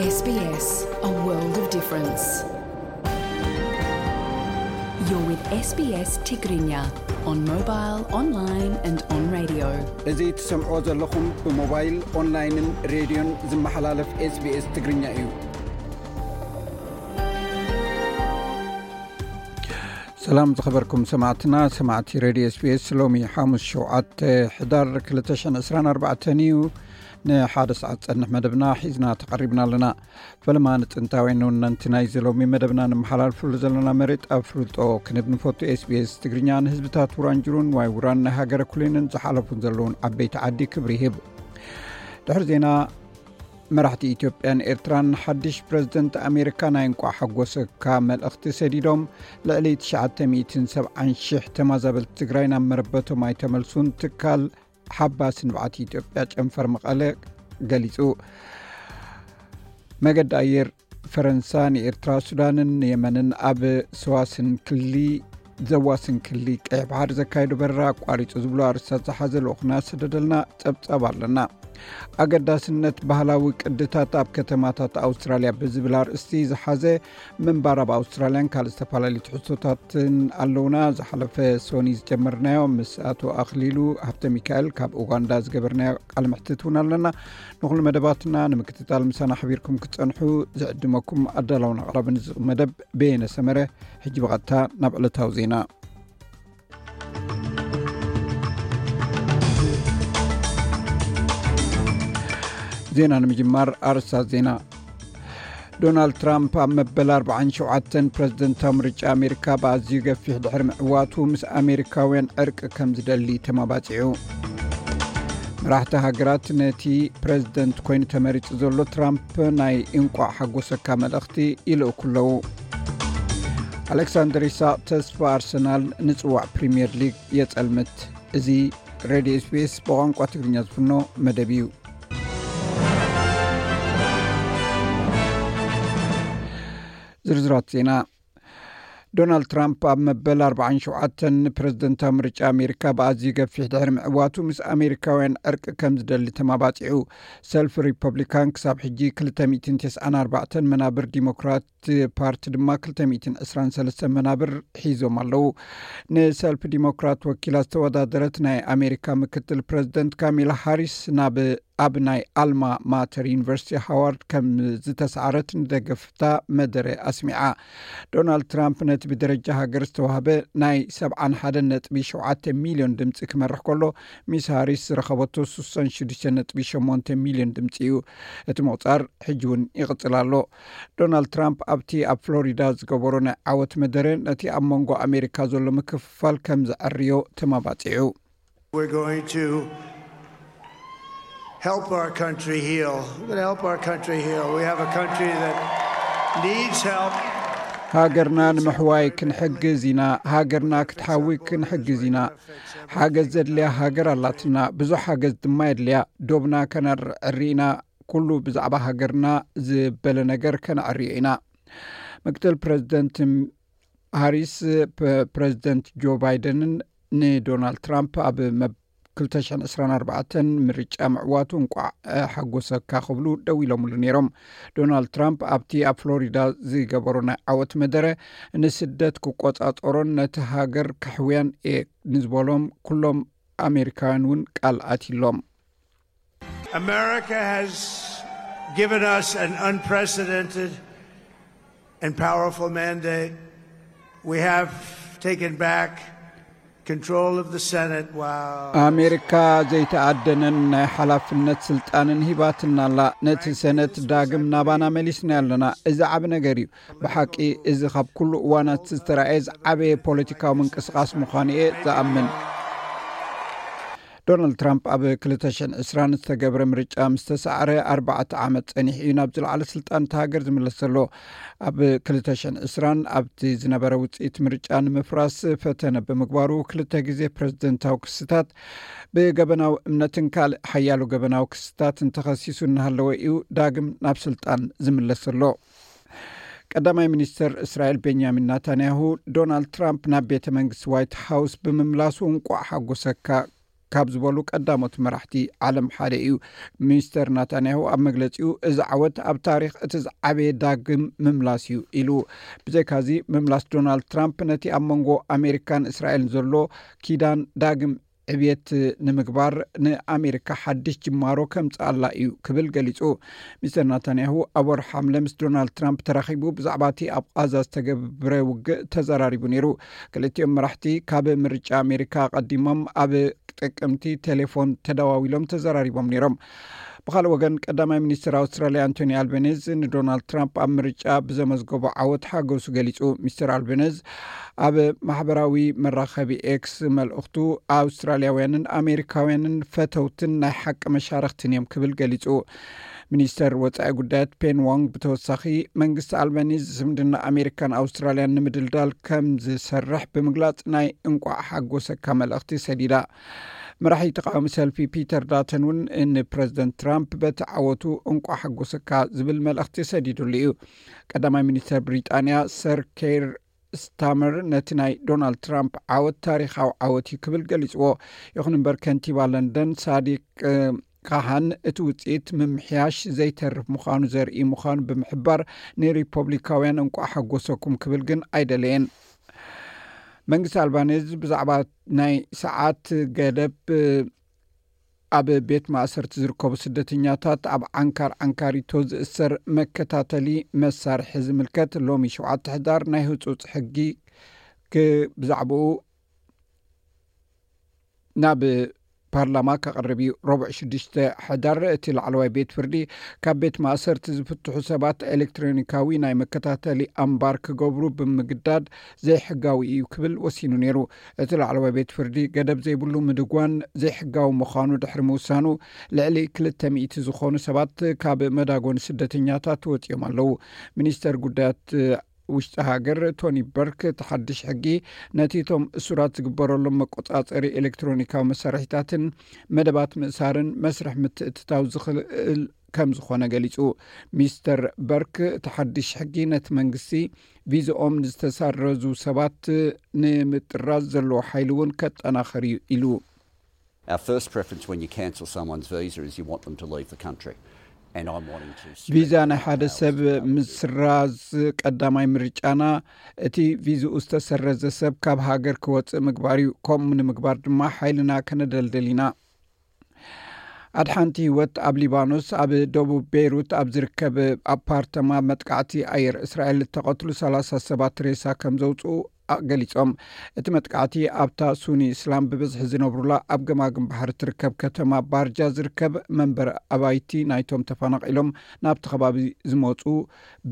S B S, a world of difference. You're with S B S Tigrinya on mobile, online and on radio. እዚ ትሰምዕዎ ዘለኹም ብሞባይል፣ ኦንላይንን ሬድዮን ዝመሓላለፍ S B S ትግርኛ እዩ። ሰላም ዝኸበርኩም ሰማዕትና፣ ሰማዕቲ ሬድዮ S B S፣ ሎሚ ሓሙስ ሸውዓተ ሕዳር ክልተ ሽሕን ዕስራን ኣርባዕተን እዩ። ንሓደ ሰዓት ጸንሕ መደብና ሒዝና ተቐሪብና ኣለና። ፈለማ ንጥንታውያን ንውነንቲ ናይዚ ሎሚ መደብና ንመሓላልፍሉ ዘለና መሬት ኣብ ፍልጦ ክንብ ንፈቱ። S B S ትግርኛ ንህዝብታት ውራንጅሩን ዋይ ውራን ናይ ሃገረ ኩሌንን ዝሓለፉን ዘለውን ዓበይቲ ዓዲ ክብሪ ይህብ። ድሕሪ ዜና፣ መራሕቲ ኢትዮጵያን ኤርትራን ሓድሽ ፕረዚደንት ኣሜሪካ ናይ እንቋዕ ሓጎሰካ መልእኽቲ ሰዲዶም። ልዕሊ ትሽዓተ ሚእትን ሰብዓን ሽሕ ተማዛበልቲ ትግራይ ናብ መረበቶም ኣይተመልሱን። ትካል ሓባስ ንብዓት ኢትዮጵያ ጨንፈር መቐለ ገሊጹ። መገዲ ኣየር ፈረንሳ ንኤርትራ፣ ሱዳንን የመንን ኣብ ሰዋስን ክሊ ዘዋስን ክሊ ቀይሕ ባሕሪ ዘካየዶ በረራ ኣቋሪጹ ዝብሉ ኣርእስታት ዝሓዘ ልኡኽና ዝሰደደልና ጸብጻብ ኣለና። ኣገዳስነት ባህላዊ ቅድታት ኣብ ከተማታት ኣውስትራልያ ብዝብል ኣርእስቲ ዝሓዘ ምንባር ኣብ ኣውስትራልያን ካልእ ዝተፈላለዩ ትሕዝቶታትን ኣለውና። ዝሓለፈ ሶኒ ዝጀመርናዮ ምስ ኣቶ ኣኽሊሉ ሃብተ ሚካኤል ካብ ኡጋንዳ ዝገበርናዮ ቃለ መሕትት እውን ኣለና። ንኹሉ መደባትና ንምክትታል ምሳና ሓቢርኩም ክትጸንሑ ዝዕድመኩም ኣዳላውን ኣቕራብን እዚ መደብ በየነ ሰመረ። ሕጂ ብቐጥታ ናብ ዕለታዊ ዜና። ዜና ንምጅማር ኣርእስታት ዜና። ዶናልድ ትራምፕ ኣብ መበል ኣርባዓን ሸውዓተን ፕረዚደንታዊ ምርጫ ኣሜሪካ ብኣዝዩ ገፊሕ ድሕሪ ምዕዋቱ ምስ ኣሜሪካውያን ዕርቂ ከም ዝደሊ ተማባጺዑ። መራሕቲ ሃገራት ነቲ ፕረዚደንት ኮይኑ ተመሪጹ ዘሎ ትራምፕ ናይ እንቋዕ ሓጎሰካ መልእኽቲ ይልእኩ ኣለዉ። ኣሌክሳንደር ኢሳቕ ተስፋ ኣርሰናል ንጽዋዕ ፕሪምየር ሊግ የጸልምት። እዚ ሬድዮ S B S ብቋንቋ ትግርኛ ዝፍኖ መደብ እዩ። ዝርዝራት ዜና። ዶናልድ ትራምፕ ኣብ መበል ኣርባዓን ሸውዓተን ፕረዚደንታዊ ምርጫ ኣሜሪካ ብኣዝዩ ገፊሕ ድሕሪ ምዕዋቱ ምስ ኣሜሪካውያን ዕርቂ ከም ዝደሊ ተማባጺዑ። ሰልፊ ሪፐብሊካን ክሳብ ሕጂ ክልተ ሚእትን ተስዓን ኣርባዕተን መናብር፣ ዲሞክራት ፓርቲ ድማ ክልተ ሚእትን ዕስራን ሰለስተን መናብር ሒዞም ኣለዉ። ንሰልፊ ዲሞክራት ወኪላ ዝተወዳደረት ናይ ኣሜሪካ ምክትል ፕረዚደንት ካሚላ ሃሪስ ናብ ኣብ ናይ ኣልማ ማተር ዩኒቨርሲቲ ሃዋርድ ከም ዝተሰዓረት ንደገፍታ መደረ ኣስሚዓ። ዶናልድ ትራምፕ ነቲ ብደረጃ ሃገር ዝተዋህበ ናይ ሰብዓን ሓደን ነጥቢ ሸውዓተ ሚልዮን ድምጺ ክመርሕ ከሎ፣ ሚስ ሃሪስ ዝረኸበቶ ስሳን ሽዱሽተ ነጥቢ ሸሞንተ ሚልዮን ድምጺ እዩ። እቲ ምቑጻር ሕጂ እውን ይቕጽል ኣሎ። ዶናልድ ትራምፕ ኣብቲ ኣብ ፍሎሪዳ ዝገበሮ ናይ ዓወት መደረ ነቲ ኣብ መንጎ ኣሜሪካ ዘሎ ምክፍፋል ከም ዘዐርዮ ተማባጺዑ። We're going to help our country heal. We're going to help our country heal. We have a country that needs help. ሃገርና ንምሕዋይ ክንሕግዝ ኢና። ሃገርና ክትሓዊ ክንሕግዝ ኢና። ሓገዝ ዘድልያ ሃገር ኣላትና። ብዙሕ ሓገዝ ድማ የድልያ። ዶብና ከነዕሪ ኢና። ኩሉ ብዛዕባ ሃገርና ዝበለ ነገር ከነዕርዮ ኢና። ምክትል ፕረዚደንት ሃሪስ፣ ፕ-፣ ፕረዚደንት ጆ ባይደንን ንዶናልድ ትራምፕ ኣብ መብ-፣ ክልተ ሽሕን ዕስራን ኣርባዕተን ምርጫ ምዕዋቱ እንቋዕ፣ እ፣ ሓጎሰካ ክብሉ ደው ኢሎምሉ ነይሮም። ዶናልድ ትራምፕ ኣብቲ ኣብ ፍሎሪዳ ዝገበሮ ናይ ዓወት መደረ፣ ንስደት ክቆጻጸሮን ነቲ ሃገር ከሕውያን እየ ንዝበሎም ኩሎም ኣሜሪካውያን እውን ቃል ኣትዩሎም። America has given us an unprecedented and powerful mandate. We have taken back control of the Senate while ኣሜሪካ ዘይተኣደነን ናይ ሓላፍነት ስልጣንን ሂባትና ኣላ። ነቲ ሰነት ዳግም ናባና መሊስና ኣለና። እዚ ዓቢ ነገር እዩ። ብሓቂ እዚ ካብ ኩሉ እዋናት ዝተራእየ ዝዓበየ ፖለቲካዊ ምንቅስቓስ ምዃኑ እየ ዝኣምን። ዶናልድ ትራምፕ ኣብ ክልተ ሽሕን ዕስራን ዝተገብረ ምርጫ ምስ ተሳዕረ ኣርባዕተ ዓመት ጸኒሑ እዩ ናብ ዝለዓለ ስልጣን እቲ ሃገር ዝምለስ ዘሎ። ኣብ ክልተ ሽሕን ዕስራን ኣብቲ ዝነበረ ውጽኢት ምርጫ ንምፍራስ ፈተነ ብምግባሩ ክልተ ግዜ ፕረዚደንታዊ ክስታት፣ ብገበናዊ እምነትን ካልእ ሓያሎ ገበናዊ ክስታት እንተኸሲሱ እናሃለወ እዩ ዳግም ናብ ስልጣን ዝምለስ ዘሎ። ቀዳማይ ሚኒስተር እስራኤል ቤንያሚን ናታንያሁ፣ ዶናልድ ትራምፕ ናብ ቤተ መንግስቲ ዋይት ሃውስ ብምምላሱ እንቋዕ ሓጎሰካ ካብ ዝበሉ ቀዳሞት መራሕቲ ዓለም ሓደ እዩ። ሚስተር ናታንያሁ ኣብ መግለጺኡ፣ "እዚ ዓወት ኣብ ታሪኽ እቲ ዝዓበየ ዳግም ምምላስ እዩ" ኢሉ። ብዘይካዚ፣ ምምላስ ዶናልድ ትራምፕ ነቲ ኣብ መንጎ ኣሜሪካን እስራኤልን ዘሎ ኪዳን ዳግም ዕብየት ንምግባር ንኣሜሪካ ሓድሽ ጅማሮ ከምጽኣላ እዩ ክብል ገሊጹ። ሚስተር ናታንያሁ ኣብ ወርሒ ሓምለ ምስ ዶናልድ ትራምፕ ተራኺቡ ብዛዕባ እቲ ኣብ ቓዛ ዝተገብረ ውግእ ተዘራሪቡ ነይሩ። ክልቲኦም መራሕቲ ካብ ምርጫ ኣሜሪካ ኣቐዲሞም ኣብ ጥቅምቲ ቴሌፎን ተደዋዊሎም ተዘራሪቦም ነይሮም። ብኻልእ ወገን፣ ቀዳማይ ሚኒስትር ኣውስትራልያ ኣንቶኒ ኣልቤኔዝ ንዶናልድ ትራምፕ ኣብ ምርጫ ብዘመዝገቦ ዓወት ሓገሱ ገሊጹ። ሚስተር ኣልቤኔዝ ኣብ ማሕበራዊ መራኸቢ ኤክስ መልእኽቱ፣ "ኣውስትራልያውያንን ኣሜሪካውያንን ፈተውትን ናይ ሓቂ መሻርኽትን እዮም" ክብል ገሊጹ። ሚኒስተር ወጻኢ ጉዳያት ፔን ዋንግ ብተወሳኺ፣ መንግስቲ ኣልባኒዝ ዝምድና ኣሜሪካን ኣውስትራልያን ንምድልዳል ከም ዝሰርሕ ብምግላጽ፣ ናይ እንቋዕ ሓጎሰካ መልእኽቲ ሰዲዳ። መራሒ ተቃዋሚ ሰልፊ ፒተር ዳተን እውን ንፕረዚደንት ትራምፕ በቲ ዓወቱ እንቋዕ ሓጎሰካ ዝብል መልእኽቲ ሰዲዱሉ እዩ። ቀዳማይ ሚኒስተር ብሪጣንያ ሰር ኬር ስታመር ነቲ ናይ ዶናልድ ትራምፕ ዓወት ታሪኻዊ ዓወት እዩ ክብል ገሊጽዎ። ይኹን እምበር፣ ከንቲባ ለንደን ሳዲቅ፣ እ፣ ካሃን እቲ ውጽኢት ምምሕያሽ ዘይተርፍ ምዃኑ ዘርኢ ምዃኑ ብምሕባር፣ ንሪፐብሊካውያን እንቋዕ ሓጎሰኩም ክብል ግን ኣይደለየን። መንግስቲ ኣልባኔዝ ብዛዕባ ናይ ሰዓት ገደብ፣ እ፣ ኣብ ቤት ማእሰርቲ ዝርከቡ ስደተኛታት ኣብ ዓንካር ዓንካሪቶ ዝእሰር መከታተሊ መሳርሒ ዝምልከት ሎሚ ሸውዓተ ሕዳር ናይ ህጹጽ ሕጊ ክ-፣ ብዛዕባኡ ናብ ፓርላማ ከቕርብ እዩ። ረቡዕ ሽዱሽተ ሕዳር እቲ ላዕለዋይ ቤት ፍርዲ ካብ ቤት ማእሰርቲ ዝፍትሑ ሰባት ኤሌክትሮኒካዊ ናይ መከታተሊ ኣምባር ክገብሩ ብምግዳድ ዘይሕጋዊ እዩ ክብል ወሲኑ ነይሩ። እቲ ላዕለዋይ ቤት ፍርዲ ገደብ ዘይብሉ ምድጓን ዘይሕጋዊ ምዃኑ ድሕሪ ምውሳኑ፣ ልዕሊ ክልተ ሚእቲ ዝኾኑ ሰባት ካብ መዳጎኒ ስደተኛታት ወጺኦም ኣለዉ። ሚኒስተር ጉዳያት ውሽጢ ሃገር ቶኒ በርክ፣ እቲ ሓድሽ ሕጊ ነቲ እቶም እሱራት ዝግበረሎም መቆጻጸሪ ኤሌክትሮኒካዊ መሳርሒታትን መደባት ምእሳርን መስርሕ ምትእትታው ዝኽእል ከም ዝኾነ ገሊጹ። ሚስተር በርክ፣ እቲ ሓድሽ ሕጊ ነቲ መንግስቲ ቪዛኦም ንዝተሳረዙ ሰባት ንምጥራዝ ዘለዎ ሓይሊ እውን ከጠናኸር እዩ ኢሉ። Our first preference when you cancel someone's visa is you want them to leave the country. And I'm wanting to spread ቪዛ ናይ ሓደ ሰብ ምስራዝ ቀዳማይ ምርጫና፣ እቲ ቪዝኡ ዝተሰረዘ ሰብ ካብ ሃገር ክወጽእ ምግባር እዩ። ከምኡ ንምግባር ድማ ሓይልና ከነደልደል ኢና። ኣድሓንቲ ህይወት ኣብ ሊባኖስ፣ ኣብ ደቡብ ቤይሩት ኣብ ዝርከብ ኣፓርተማ መጥቃዕቲ ኣየር እስራኤል እተቐትሉ ሰላሳ ሰባት ሬሳ ከም ዘውፅኡ ገሊጾም። እቲ መጥቃዕቲ ኣብታ ሱኒ እስላም ብብዝሒ ዝነብሩላ ኣብ ገማግም ባሕሪ ትርከብ ከተማ ባርጃ ዝርከብ መንበሪ ኣባይቲ ናይቶም ተፈናቒሎም ናብቲ ከባቢ ዝመጹ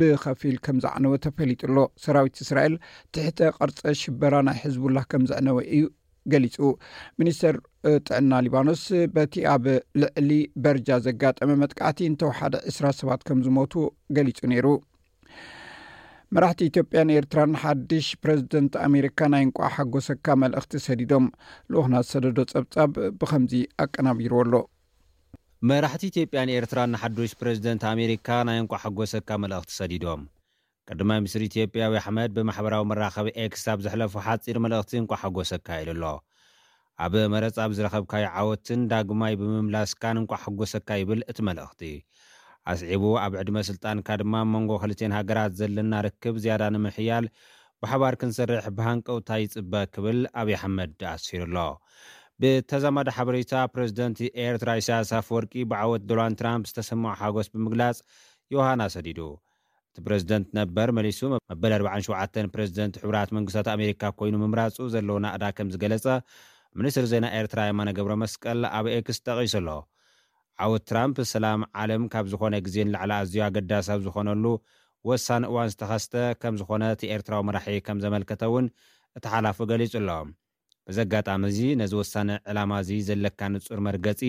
ብኸፊል ከም ዘዕነወ ተፈሊጡ ኣሎ። ሰራዊት እስራኤል ትሕተ ቅርጸ ሽበራ ናይ ሕዝቡላህ ከም ዘዕነወ እዩ ገሊጹ። ሚኒስተር ጥዕና ሊባኖስ በቲ ኣብ ልዕሊ በርጃ ዘጋጠመ መጥቃዕቲ እንተወሓደ ዕስራ ሰባት ከም ዝሞቱ ገሊጹ ነይሩ። መራሕቲ ኢትዮጵያን ኤርትራን ሓድሽ ፕረዚደንት ኣሜሪካ ናይ እንቋዕ ሓጎሰካ መልእኽቲ ሰዲዶም። ልኡኽና ዝሰደዶ ጸብጻብ ብኸምዚ ኣቀናቢርዎ ኣሎ። መራሕቲ ኢትዮጵያን ኤርትራን ንሓዱሽ ፕረዚደንት ኣሜሪካ ናይ እንቋዕ ሓጎሰካ መልእኽቲ ሰዲዶም። ቀዳማይ ሚኒስትር ኢትዮጵያ ኣብይ ኣሕመድ ብማሕበራዊ መራኸቢ ኤክስ ኣብ ዘሕለፎ ሓጺር መልእኽቲ እንቋዕ ሓጎሰካ ኢሉ ኣሎ። ኣብ መረጻ ብዝረኸብካዮ ዓወትን ዳግማይ ብምምላስካን እንቋዕ ሓጎሰካ ይብል እቲ መልእኽቲ። ኣስዒቡ ኣብ ዕድመ ስልጣንካ ድማ ኣብ መንጎ ክልቴን ሃገራት ዘለና ርክብ ዝያዳ ንምሕያል ብሓባር ክንሰርሕ ብሃንቀውታ ይጽበ ክብል ኣብይ ኣሕመድ ኣስፊሩ ኣሎ። ብተዛማዲ ሓበሬታ ፕረዚደንት ኤርትራ ኢሳያስ ኣፈወርቂ ብዓወት ዶናልድ ትራምፕ ዝተሰምዖ ሓጎስ ብምግላጽ ዮሃና ሰዲዱ። እቲ ፕረዚደንት ነበር መሊሱ መበል ኣርባዓን ሸውዓተን ፕረዚደንት ሕቡራት መንግስታት ኣሜሪካ ኮይኑ ምምራጹ ዘለዎ ናእዳ ከም ዝገለጸ ሚኒስትር ዜና ኤርትራ የማነ ገብረ መስቀል ኣብ ኤክስ ጠቒሱ ኣሎ። ዓወት ትራምፕ ሰላም ዓለም ካብ ዝኾነ ግዜ ንላዕሊ ኣዝዩ ኣገዳሲ ኣብ ዝኾነሉ ወሳኒ እዋን ዝተኸስተ ከም ዝኾነ እቲ ኤርትራዊ መራሒ ከም ዘመልከተ እውን እቲ ሓላፊ ገሊጹ ኣሎ። በዚ ኣጋጣሚ እዚ ነዚ ወሳኒ ዕላማ እዚ ዘለካ ንጹር መርገጺ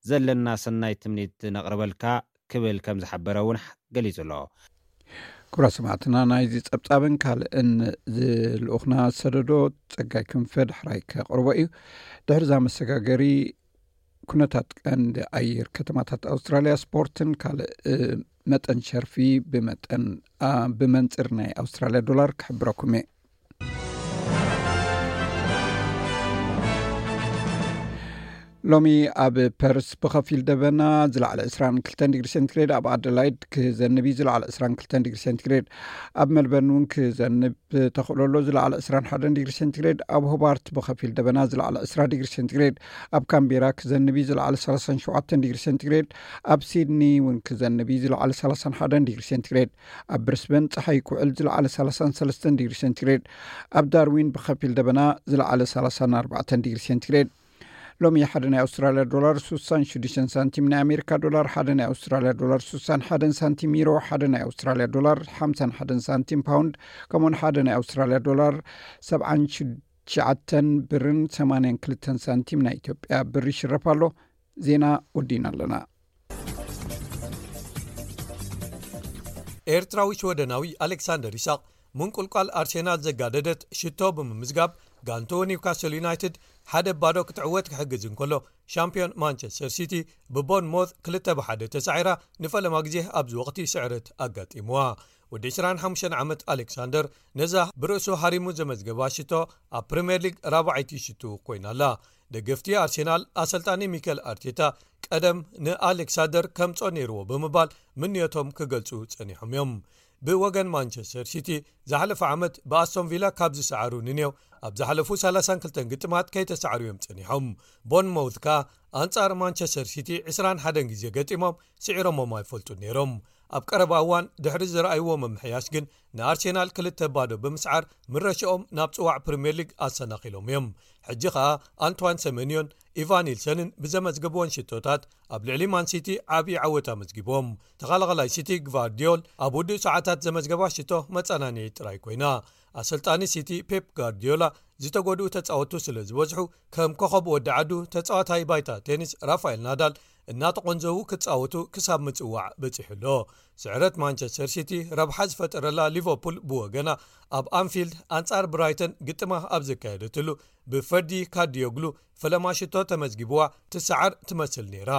ዘለና ሰናይ ትምኒት ነቕርበልካ ክብል ከም ዝሓበረ እውን ገሊጹ ኣሎ። ክቡራት ሰማዕትና፣ ናይዚ ጸብጻብን ካልእን ዝልኡኽና ዝሰደዶ ጸጋይ ክንፈ ዳሕራይ ከቕርቦ እዩ። ድሕሪ እዛ መሰጋገሪ ኩነታት ቀንዲ ኣየር ከተማታት ኣውስትራልያ፣ ስፖርትን ካልእ መጠን ሸርፊ ብመጠን፣ ኣ፣ ብመንጽር ናይ ኣውስትራልያ ዶላር ክሕብረኩም እየ። ሎሚ ኣብ ፐርስ ብኸፊል ደበና፣ ዝለዓለ ዕስራን ክልተን ዲግሪ ሴንቲግሬድ፣ ኣብ ኣደላይድ ክዘንብ እዩ፣ ዝለዓለ ዕስራን ክልተን ዲግሪ ሴንቲግሬድ፣ ኣብ ሜልበርን እውን ክዘንብ ተኽእሎ ኣሎ፣ ዝለዓለ ዕስራን ሓደን ዲግሪ ሴንቲግሬድ፣ ኣብ ሆባርት ብኸፊል ደበና፣ ዝለዓለ ዕስራ ዲግሪ ሴንቲግሬድ፣ ኣብ ካምቤራ ክዘንብ እዩ፣ ዝለዓለ ሰላሳን ሸውዓተን ዲግሪ ሴንቲግሬድ፣ ኣብ ሲድኒ እውን ክዘንብ እዩ፣ ዝለዓለ ሰላሳን ሓደን ዲግሪ ሴንቲግሬድ፣ ኣብ ብሪስበን ጸሓይ ክውዕል፣ ዝለዓለ ሰላሳን ሰለስተን ዲግሪ ሴንቲግሬድ፣ ኣብ ዳርዊን ብኸፊል ደበና፣ ዝለዓለ ሰላሳን ኣርባዕተን ዲግሪ ሴንቲግሬድ። ሎሚ ሓደ ናይ ኣውስትራልያ ዶላር ስሳን ሽዱሽተን ሳንቲም፣ ናይ ኣሜሪካ ዶላር ሓደ ናይ ኣውስትራልያ ዶላር ስሳን ሓደን ሳንቲም፣ ዩሮ ሓደ ናይ ኣውስትራልያ ዶላር ሓምሳን ሓደን ሳንቲም፣ ፓውንድ ከምኡውን ሓደ ናይ ኣውስትራልያ ዶላር ሰብዓን ትሽዓተን፣ ብርን ሰማንያን ክልተን ሳንቲም ናይ ኢትዮጵያ ብር ይሽረፍ ኣሎ። ዜና ወዲና ኣለና። ኤርትራዊ ሽወደናዊ ኣሌክሳንደር ይስሐቅ ምንቁልቋል ኣርሴናል ዘጋደደት ሽቶ ብምምዝጋብ፣ ጋንትኡ ኒውካስል ዩናይትድ ሓደ ባዶ ክትዕወት ክሕግዝ እንከሎ፣ ሻምፒዮን ማንቸስተር ሲቲ ብቦርንሞዝ ክልተ ብሓደ ተሳዒራ፣ ንፈለማ ግዜ ኣብዚ ወቕቲ ስዕረት ኣጋጢምዋ። ወዲ ዕስራን ሓሙሽተን ዓመት ኣሌክሳንደር፣ ነዛ ብርእሱ ሃሪሙ ዘመዝገባ ሽቶ፣ ኣብ ፕሪምየር ሊግ ራብዓይቲ ሽቱ ኮይና ኣላ። ደገፍቲ ኣርሴናል፣ ኣሰልጣኒ ሚኬል ኣርቴታ ቀደም ንኣሌክሳንደር ከምጾ ነይርዎ ብምባል ምንዮቶም ክገልጹ ጸኒሖም እዮም። ብወገን ማንቸስተር ሲቲ፣ ዝሓለፈ ዓመት ብኣስቶን ቪላ ካብ ዝሰዓሩ ንኔው፣ ኣብ ዝሓለፉ ሰላሳን ክልተን ግጥማት ከይተሳዕሩ እዮም ጸኒሖም። ቦርንሞውዝ ከኣ ኣንጻር ማንቸስተር ሲቲ ዕስራን ሓደን ግዜ ገጢሞም፣ ስዒሮሞም ኣይፈልጡን ነይሮም። ኣብ ቀረባ እዋን ድሕሪ ዝረኣይዎ ምምሕያሽ ግን፣ ንኣርሴናል ክልተ ባዶ ብምስዓር ምረሽኦም ናብ ጽዋዕ ፕሪምየር ሊግ ኣሰናኺሎም እዮም። ሕጂ ኸኣ ኣንቷን ሰመንዮን ኢቫን ኒልሰንን ብዘመዝገብወን ሽቶታት ኣብ ልዕሊ ማን ሲቲ ዓብዪ ዓወት ኣመዝጊቦም። ተኸላኸላይ ሲቲ ግቫርዲዮል ኣብ ውዱእ ሰዓታት ዘመዝገባ ሽቶ መጸናንዒ ጥራይ ኮይና። ኣሰልጣኒ ሲቲ ፔፕ ጋርዲዮላ፣ ዝተጎድኡ ተጻወቱ ስለ ዝበዝሑ፣ ከም ኮኸብ ወዲ ዓዱ ተጻዋታይ ባይታ ቴኒስ ራፋኤል ናዳል እናተቖንዘዉ ክጻወቱ ክሳብ ምጽዋዕ በጺሑ ኣሎ። ስዕረት ማንቸስተር ሲቲ ረብሓ ዝፈጠረላ ሊቨርፑል ብወገና፣ ኣብ ኣንፊልድ ኣንጻር ብራይተን ግጥማ ኣብ ዘካየደትሉ፣ ብፈርዲ ካርዲዮግሉ ፈለማ ሽቶ ተመዝጊብዋ ትሰዓር ትመስል ነይራ።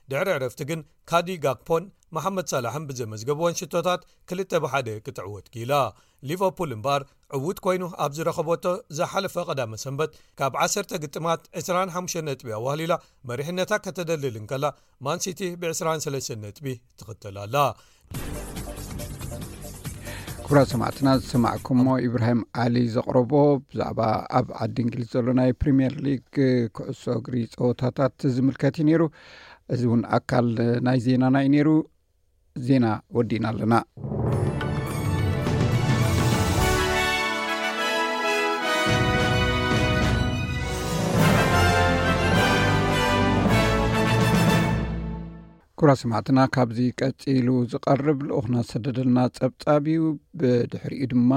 ድሕሪ ዕረፍቲ ግን፣ ካዲ ጋክፖን መሓመድ ሳላሕን ብዘመዝገብወን ሽቶታት ክልተ ብሓደ ክትዕወት ክኢላ። ሊቨርፑል እምበኣር፣ ዕዉት ኮይኑ ኣብ ዝረኸበቶ ዝሓለፈ ቀዳመ ሰንበት፣ ካብ ዓሰርተ ግጥማት ዕስራን ሓሙሽተን ነጥቢ ኣዋህሊላ መሪሕነታ ከተደልል እንከላ፣ ማንሲቲ ብዕስራን ሰለስተን ነጥቢ ትኽተል ኣላ። ክቡራት ሰማዕትና፣ ዝሰማዕኩሞ ኢብራሂም ዓሊ ዘቕረቦ ብዛዕባ ኣብ ዓዲ እንግሊዝ ዘሎ ናይ ፕሪምየር ሊግ ኩዕሶ እግሪ ጸወታታት ዝምልከት እዩ ነይሩ። እዚ እውን ኣካል ናይ ዜናና እዩ ነይሩ። ዜና ወዲእና ኣለና። ክቡራት ሰማዕትና፣ ካብዚ ቀጺሉ ዝቐርብ ልኡኽና ዝሰደደልና ጸብጻብ እዩ። ብድሕሪኡ ድማ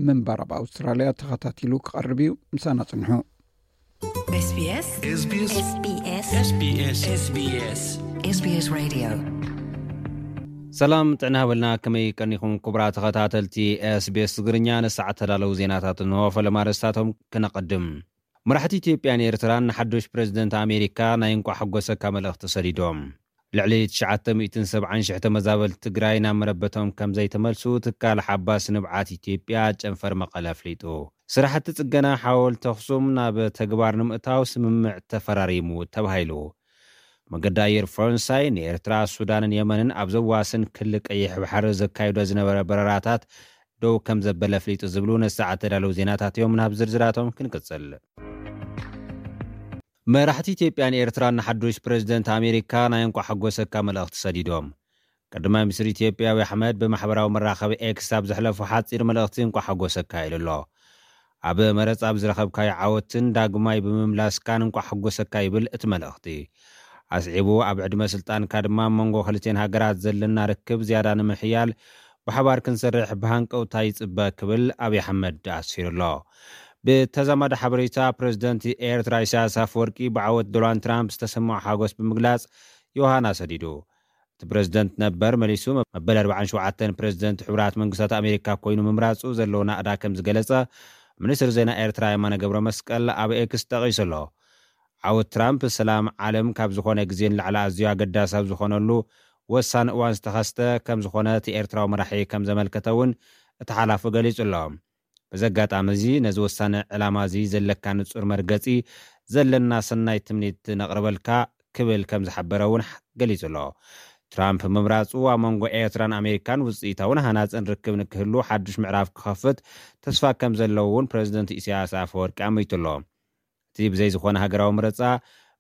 ምንባር ኣብ ኣውስትራልያ ተኸታቲሉ ክቐርብ እዩ። ምሳና ጽንሑ። SBS SBS SBS SBS SBS SBS Radio። ሰላም ጥዕና ሃበልና፣ ከመይ ቀኒኹም ክቡራት ተኸታተልቲ SBS ትግርኛ? ንሰዓት ተዳለዉ ዜናታት እንሆ። ፈለማ ኣርእስታቶም ክነቐድም። መራሕቲ ኢትዮጵያን ኤርትራን ንሓዱሽ ፕረዚደንት ኣሜሪካ ናይ እንቋዕ ሓጎሰካ መልእኽቲ ሰዲዶም። ልዕሊ ትሽዓተ ሚእትን ሰብዓን ሽሕ ተመዛበልቲ ትግራይ ናብ መረበቶም ከም ዘይተመልሱ ትካል ሓባስ ንብዓት ኢትዮጵያ ጨንፈር መቐለ ኣፍሊጡ። ስራሕቲ ጽገና ሓወልቲ ኣኽሱም ናብ ተግባር ንምእታው ስምምዕ ተፈራሪሙ ተባሂሉ። መገዲ ኣየር ፈረንሳይ ንኤርትራ፣ ሱዳንን የመንን ኣብ ዘዋስን ክሊ ቀይሕ ባሕሪ ዘካይዶ ዝነበረ በረራታት ደው ከም ዘበለ ኣፍሊጡ ዝብሉ ንሰዓት ተዳለዉ ዜናታት እዮም። ናብ ዝርዝራቶም ክንቅጽል። መራሕቲ ኢትዮጵያን ኤርትራን ንሓዱሽ ፕረዚደንት ኣሜሪካ ናይ እንቋዕ ሓጎሰካ መልእኽቲ ሰዲዶም። ቀዳማይ ሚኒስትር ኢትዮጵያ ኣብይ ኣሕመድ ብማሕበራዊ መራኸቢ ኤክስ ኣብ ዘሕለፎ ሓጺር መልእኽቲ እንቋዕ ሓጎሰካ ኢሉ ኣሎ። ኣብ መረጻ ኣብ ዝረኸብካዮ ዓወትን ዳግማይ ብምምላስካን እንቋዕ ሓጎሰካ ይብል እቲ መልእኽቲ። ኣስዒቡ፣ ኣብ ዕድመ ስልጣንካ ድማ ኣብ መንጎ ክልቲኤን ሃገራት ዘለና ርክብ ዝያዳ ንምሕያል ብሓባር ክንሰርሕ ብሃንቀውታ ይጽበ ክብል ኣብይ ኣሕመድ ኣስፊሩ ኣሎ። ብተዛማዲ ሓበሬታ፣ ፕረዚደንት ኤርትራ ኢሳያስ ኣፈወርቂ ብዓወት ዶናልድ ትራምፕ ዝተሰምዖ ሓጎስ ብምግላጽ ዮሃና ሰዲዱ። እቲ ፕረዚደንት ነበር መሊሱ መበል ኣርባዓን ሸውዓተን ፕረዚደንት ሕቡራት መንግስታት ኣሜሪካ ኮይኑ ምምራጹ ዘለዎ ናእዳ ከም ዝገለጸ ሚኒስትር ዜና ኤርትራ የማነ ገብረ መስቀል ኣብ ኤክስ ጠቒሱ ኣሎ። ዓወት ትራምፕ ሰላም ዓለም ካብ ዝኾነ ግዜ ንላዕሊ ኣዝዩ ኣገዳሲ ኣብ ዝኾነሉ ወሳኒ እዋን ዝተኸስተ ከም ዝኾነ እቲ ኤርትራዊ መራሒ ከም ዘመልከተ እውን እቲ ሓላፊ ገሊጹ ኣሎ። በዚ ኣጋጣሚ እዚ ነዚ ወሳኒ ዕላማ እዚ ዘለካ ንጹር መርገጺ ዘለና ሰናይ ትምኒት ነቕርበልካ ክብል ከም ዝሓበረ እውን ገሊጹ ኣሎ። ትራምፕ ምምራጹ ኣብ መንጎ ኤርትራን ኣሜሪካን ውጽኢታውን ሃናጽን ርክብ ንክህሉ ሓድሽ ምዕራፍ ክኸፍት ተስፋ ከም ዘለዎ እውን ፕረዚደንት ኢሳያስ ኣፈወርቂ ኣመይቱ ኣሎ። እቲ ብዘይ ዝኾነ ሃገራዊ ምርጻ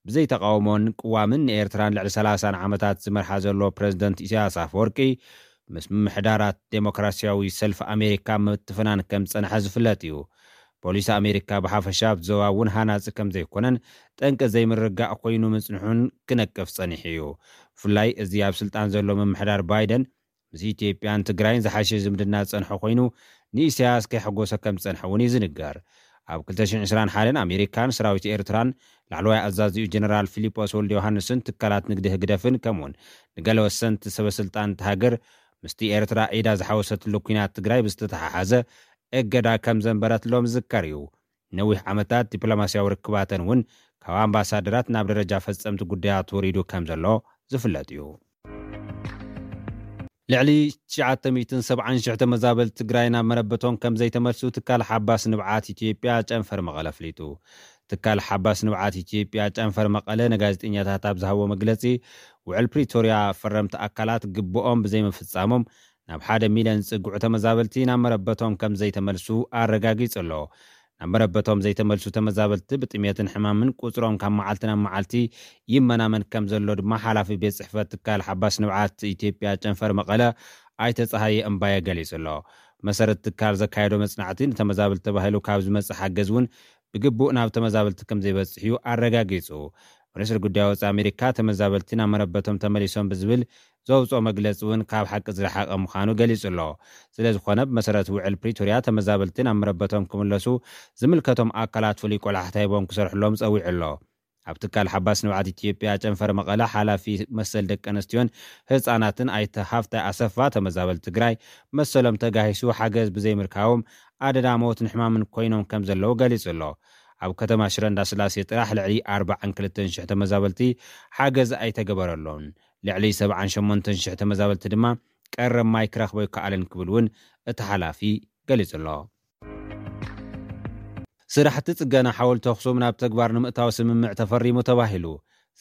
ብዘይ ተቃውሞን ቅዋምን ንኤርትራን ልዕሊ ሰላሳን ዓመታት ዝመርሓ ዘሎ ፕረዚደንት ኢሳያስ ኣፈወርቂ ምስ ምምሕዳራት ዴሞክራሲያዊ ሰልፊ ኣሜሪካ ምትፍናን ከም ዝጸንሐ ዝፍለጥ እዩ። ፖሊሲ ኣሜሪካ ብሓፈሻ ኣብቲ ዞባ እውን ሃናጺ ከም ዘይኮነን ጠንቂ ዘይምርግጋእ ኮይኑ ምጽንሑን ክነቅፍ ጸኒሑ እዩ። ብፍላይ እዚ ኣብ ስልጣን ዘሎ ምምሕዳር ባይደን ምስ ኢትዮጵያን ትግራይን ዝሓሸ ዝምድና ዝጸንሐ ኮይኑ ንኢሳያስ ከይሐጎሰ ከም ዝጸንሐ እውን እዩ ዝንገር። ኣብ ክልተ ሽሕን ዕስራን ሓደን ኣሜሪካን ሰራዊት ኤርትራን ላዕለዋይ ኣዛዚኡ ጀነራል ፊሊጶስ ወልደ ዮሃንስን ትካላት ንግዲ ህግደፍን ከምኡውን ንገለ ወሰንቲ ሰበ ስልጣን እቲ ሃገር ምስቲ ኤርትራ ኢዳ ዝሓወሰትሉ ኩናት ትግራይ ብዝተተሓሓዘ እገዳ ከም ዘንበረትሎም ዝዝከር እዩ። ነዊሕ ዓመታት ዲፕሎማስያዊ ርክባተን እውን ካብ ኣምባሳደራት ናብ ደረጃ ፈጸምቲ ጉዳያት ወሪዱ ከም ዘሎ ዝፍለጥ እዩ። ልዕሊ ትሽዓተ ሚእትን ሰብዓን ሽሕ ተመዛበልቲ ትግራይ ናብ መረበቶም ከም ዘይተመልሱ ትካል ሓባስ ንብዓት ኢትዮጵያ ጨንፈር መቐለ ኣፍሊጡ። ትካል ሓባስ ንብዓት ኢትዮጵያ ጨንፈር መቐለ ንጋዜጠኛታት ኣብ ዝሃቦ መግለጺ፣ ውዕል ፕሪቶርያ ፈረምቲ ኣካላት ግብኦም ብዘይምፍጻሞም ናብ ሓደ ሚልዮን ዝጽግዑ ተመዛበልቲ ናብ መረበቶም ከም ዘይተመልሱ ኣረጋጊጹ ኣሎ። ናብ መረበቶም ዘይተመልሱ ተመዛበልቲ ብጥሜትን ሕማምን ቁጽሮም ካብ መዓልቲ ናብ መዓልቲ ይመናመን ከም ዘሎ ድማ ሓላፊ ቤት ጽሕፈት ትካል ሓባስ ንብዓት ኢትዮጵያ ጨንፈር መቐለ ኣይተ ጸሃየ እምባየ ገሊጹ ኣሎ። መሰረት ትካል ዘካየዶ መጽናዕቲ ንተመዛበልቲ ተባሂሉ ካብ ዝመጽእ ሓገዝ እውን ብግቡእ ናብ ተመዛበልቲ ከም ዘይበጽሕ እዩ ኣረጋጊጹ። ሚኒስትሪ ጉዳይ ወጻኢ ኣሜሪካ ተመዛበልቲ ናብ መረበቶም ተመሊሶም ብዝብል ዘውፅኦ መግለፂ እውን ካብ ሓቂ ዝረሓቐ ምዃኑ ገሊጹ ኣሎ። ስለ ዝኾነ ብመሰረት ውዕል ፕሪቶርያ ተመዛበልቲ ናብ መረበቶም ክምለሱ ዝምልከቶም ኣካላት ፍሉይ ቆላሕታ ሂቦም ክሰርሕሎም ጸዊዑ ኣሎ። ኣብ ትካል ሓባስ ንብዓት ኢትዮጵያ ጨንፈር መቐለ ሓላፊ መሰል ደቂ ኣንስትዮን ህፃናትን ኣይተ ሃፍታይ ኣሰፋ ተመዛበልቲ ትግራይ መሰሎም ተጋሂሱ ሓገዝ ብዘይምርካቦም ኣደዳ ሞትን ሕማምን ኮይኖም ከም ዘለዉ ገሊጹ ኣሎ። ኣብ ከተማ ሽረ እንዳስላሴ ጥራሕ ልዕሊ ኣርባዓን ክልተን ሽሕ ተመዛበልቲ ሓገዝ ኣይተገበረሎን። ልዕሊ ሰብዓን ሸሞንተን ሽሕ ተመዛበልቲ ድማ ቀረብ ማይ ክረኽቦ ኣይከኣለን ክብል እውን እቲ ሓላፊ ገሊጹ ኣሎ። ስራሕቲ ጽገና ሓወልቲ ኣኽሱም ናብ ተግባር ንምእታው ስምምዕ ተፈሪሙ ተባሂሉ።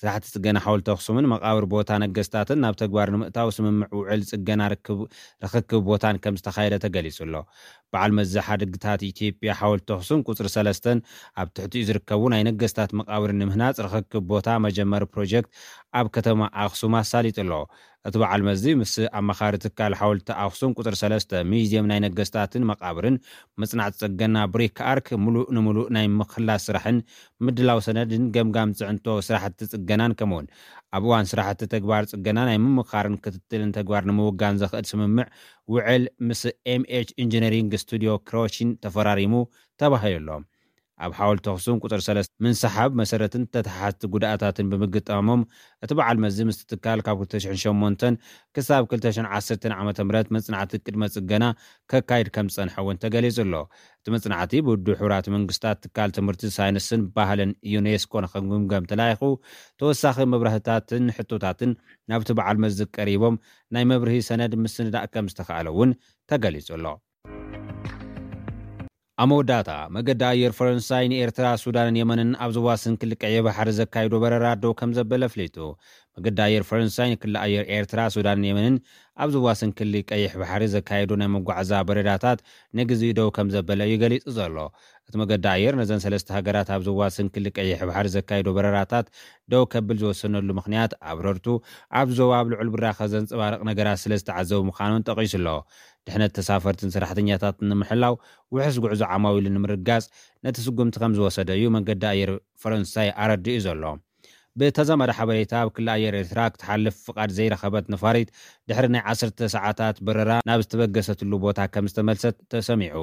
ስራሕቲ ጽገና ሓወልቲ ኣኽሱምን መቓብር ቦታ ነገስታትን ናብ ተግባር ንምእታው ስምምዕ ውዕል ጽገና ርክብ-፣ ርኽክብ ቦታን ከም ዝተኻየደ ተገሊጹ ኣሎ። በዓል መዚ ሓድግታት ኢትዮጵያ ሓወልቲ ኣኽሱም ቁጽሪ ሰለስተን ኣብ ትሕቲኡ ዝርከቡ ናይ ነገስታት መቓብር ንምህናጽ ርኽክብ ቦታ መጀመሪ ፕሮጀክት ኣብ ከተማ ኣኽሱም ኣሳሊጡ ኣሎ። እቲ በዓል መዚ ምስ ኣማኻሪ ትካል ሓወልቲ ኣኽሱም ቁጽሪ ሰለስተ ሚዚየም ናይ ነገስታትን መቓብርን መጽናዕቲ ጽገና ብሪክ ኣርክ ምሉእ ንምሉእ ናይ ምኽላስ ስራሕን ምድላው ሰነድን ገምጋም ጽዕንቶ ስራሕቲ ጽገናን ከምኡውን ኣብ እዋን ስራሕቲ ተግባር ጽገና ናይ ምምኻርን ክትትልን ተግባር ንምውጋን ዘኽእል ስምምዕ ውዕል ምስ ኤምኤች ኢንጂነሪንግ ስቱዲዮ ክሮሺን ተፈራሪሙ ተባሂሉ ኣሎ። ኣብ ሓወልቲ ኣኽሱም ቁጽሪ ሰለስተ ምንስሓብ መሰረትን ተተሓሓዝቲ ጉድኣታትን ብምግጣሞም እቲ በዓል መዚ ምስቲ ትካል ካብ ክልተ ሽሕን ሸሞንተን ክሳብ ክልተ ሽሕን ዓሰርተን ዓመተ ምህረት መጽናዕቲ ቅድመ ጽገና ከካይድ ከም ዝጸንሐ እውን ተገሊጹ ኣሎ። እቲ መጽናዕቲ ብውድብ ሕቡራት መንግስታት ትካል ትምህርቲ፣ ሳይንስን ባህልን ዩኔስኮ ንኽግምገም ተላኢኹ ተወሳኺ መብራህትታትን ሕቶታትን ናብቲ በዓል መዚ ቀሪቦም ናይ መብርሂ ሰነድ ምስንዳእ ከም ዝተኻእለ እውን ተገሊጹ ኣሎ። ኣብ መወዳእታ፣ መገዲ ኣየር ፈረንሳይ ንኤርትራ፣ ሱዳንን የመንን ኣብ ዘዋስን ክሊ ቀይሕ ባሕሪ ዘካይዶ በረራ ደው ከም ዘበለ ኣፍሊጡ። መገዲ ኣየር ፈረንሳይ ንክሊ ኣየር ኤርትራ፣ ሱዳንን የመንን ኣብ ዘዋስን ክሊ ቀይሕ ባሕሪ ዘካየዶ ናይ መጓዓዛ በረራታት ንግዜኡ ደው ከም ዘበለ እዩ ገሊጹ ዘሎ። እቲ መገዲ ኣየር ነዘን ሰለስተ ሃገራት ኣብ ዘዋስን ክሊ ቀይሕ ባሕሪ ዘካየዶ በረራታት ደው ከብል ዝወሰነሉ ምኽንያት ኣብረርቱ ኣብ ዞባ ኣብ ልዑል ብራኸ ዘንጸባርቕ ነገራት ስለ ዝተዓዘቡ ምዃኑን ጠቒሱ ኣሎ። ድሕነት ተሳፈርትን ሰራሕተኛታትን ንምሕላው ውሑስ ጉዕዞ ዓማዊሉ ንምርጋጽ ነቲ ስጉምቲ ከም ዝወሰደ እዩ መንገዲ ኣየር ፈረንሳይ ኣረዲኡ ዘሎ። ብተዛማዲ ሓበሬታ ኣብ ክሊ ኣየር ኤርትራ ክትሓልፍ ፍቓድ ዘይረኸበት ነፋሪት ድሕሪ ናይ ዓሰርተ ሰዓታት በረራ ናብ ዝተበገሰትሉ ቦታ ከም ዝተመልሰት ተሰሚዑ።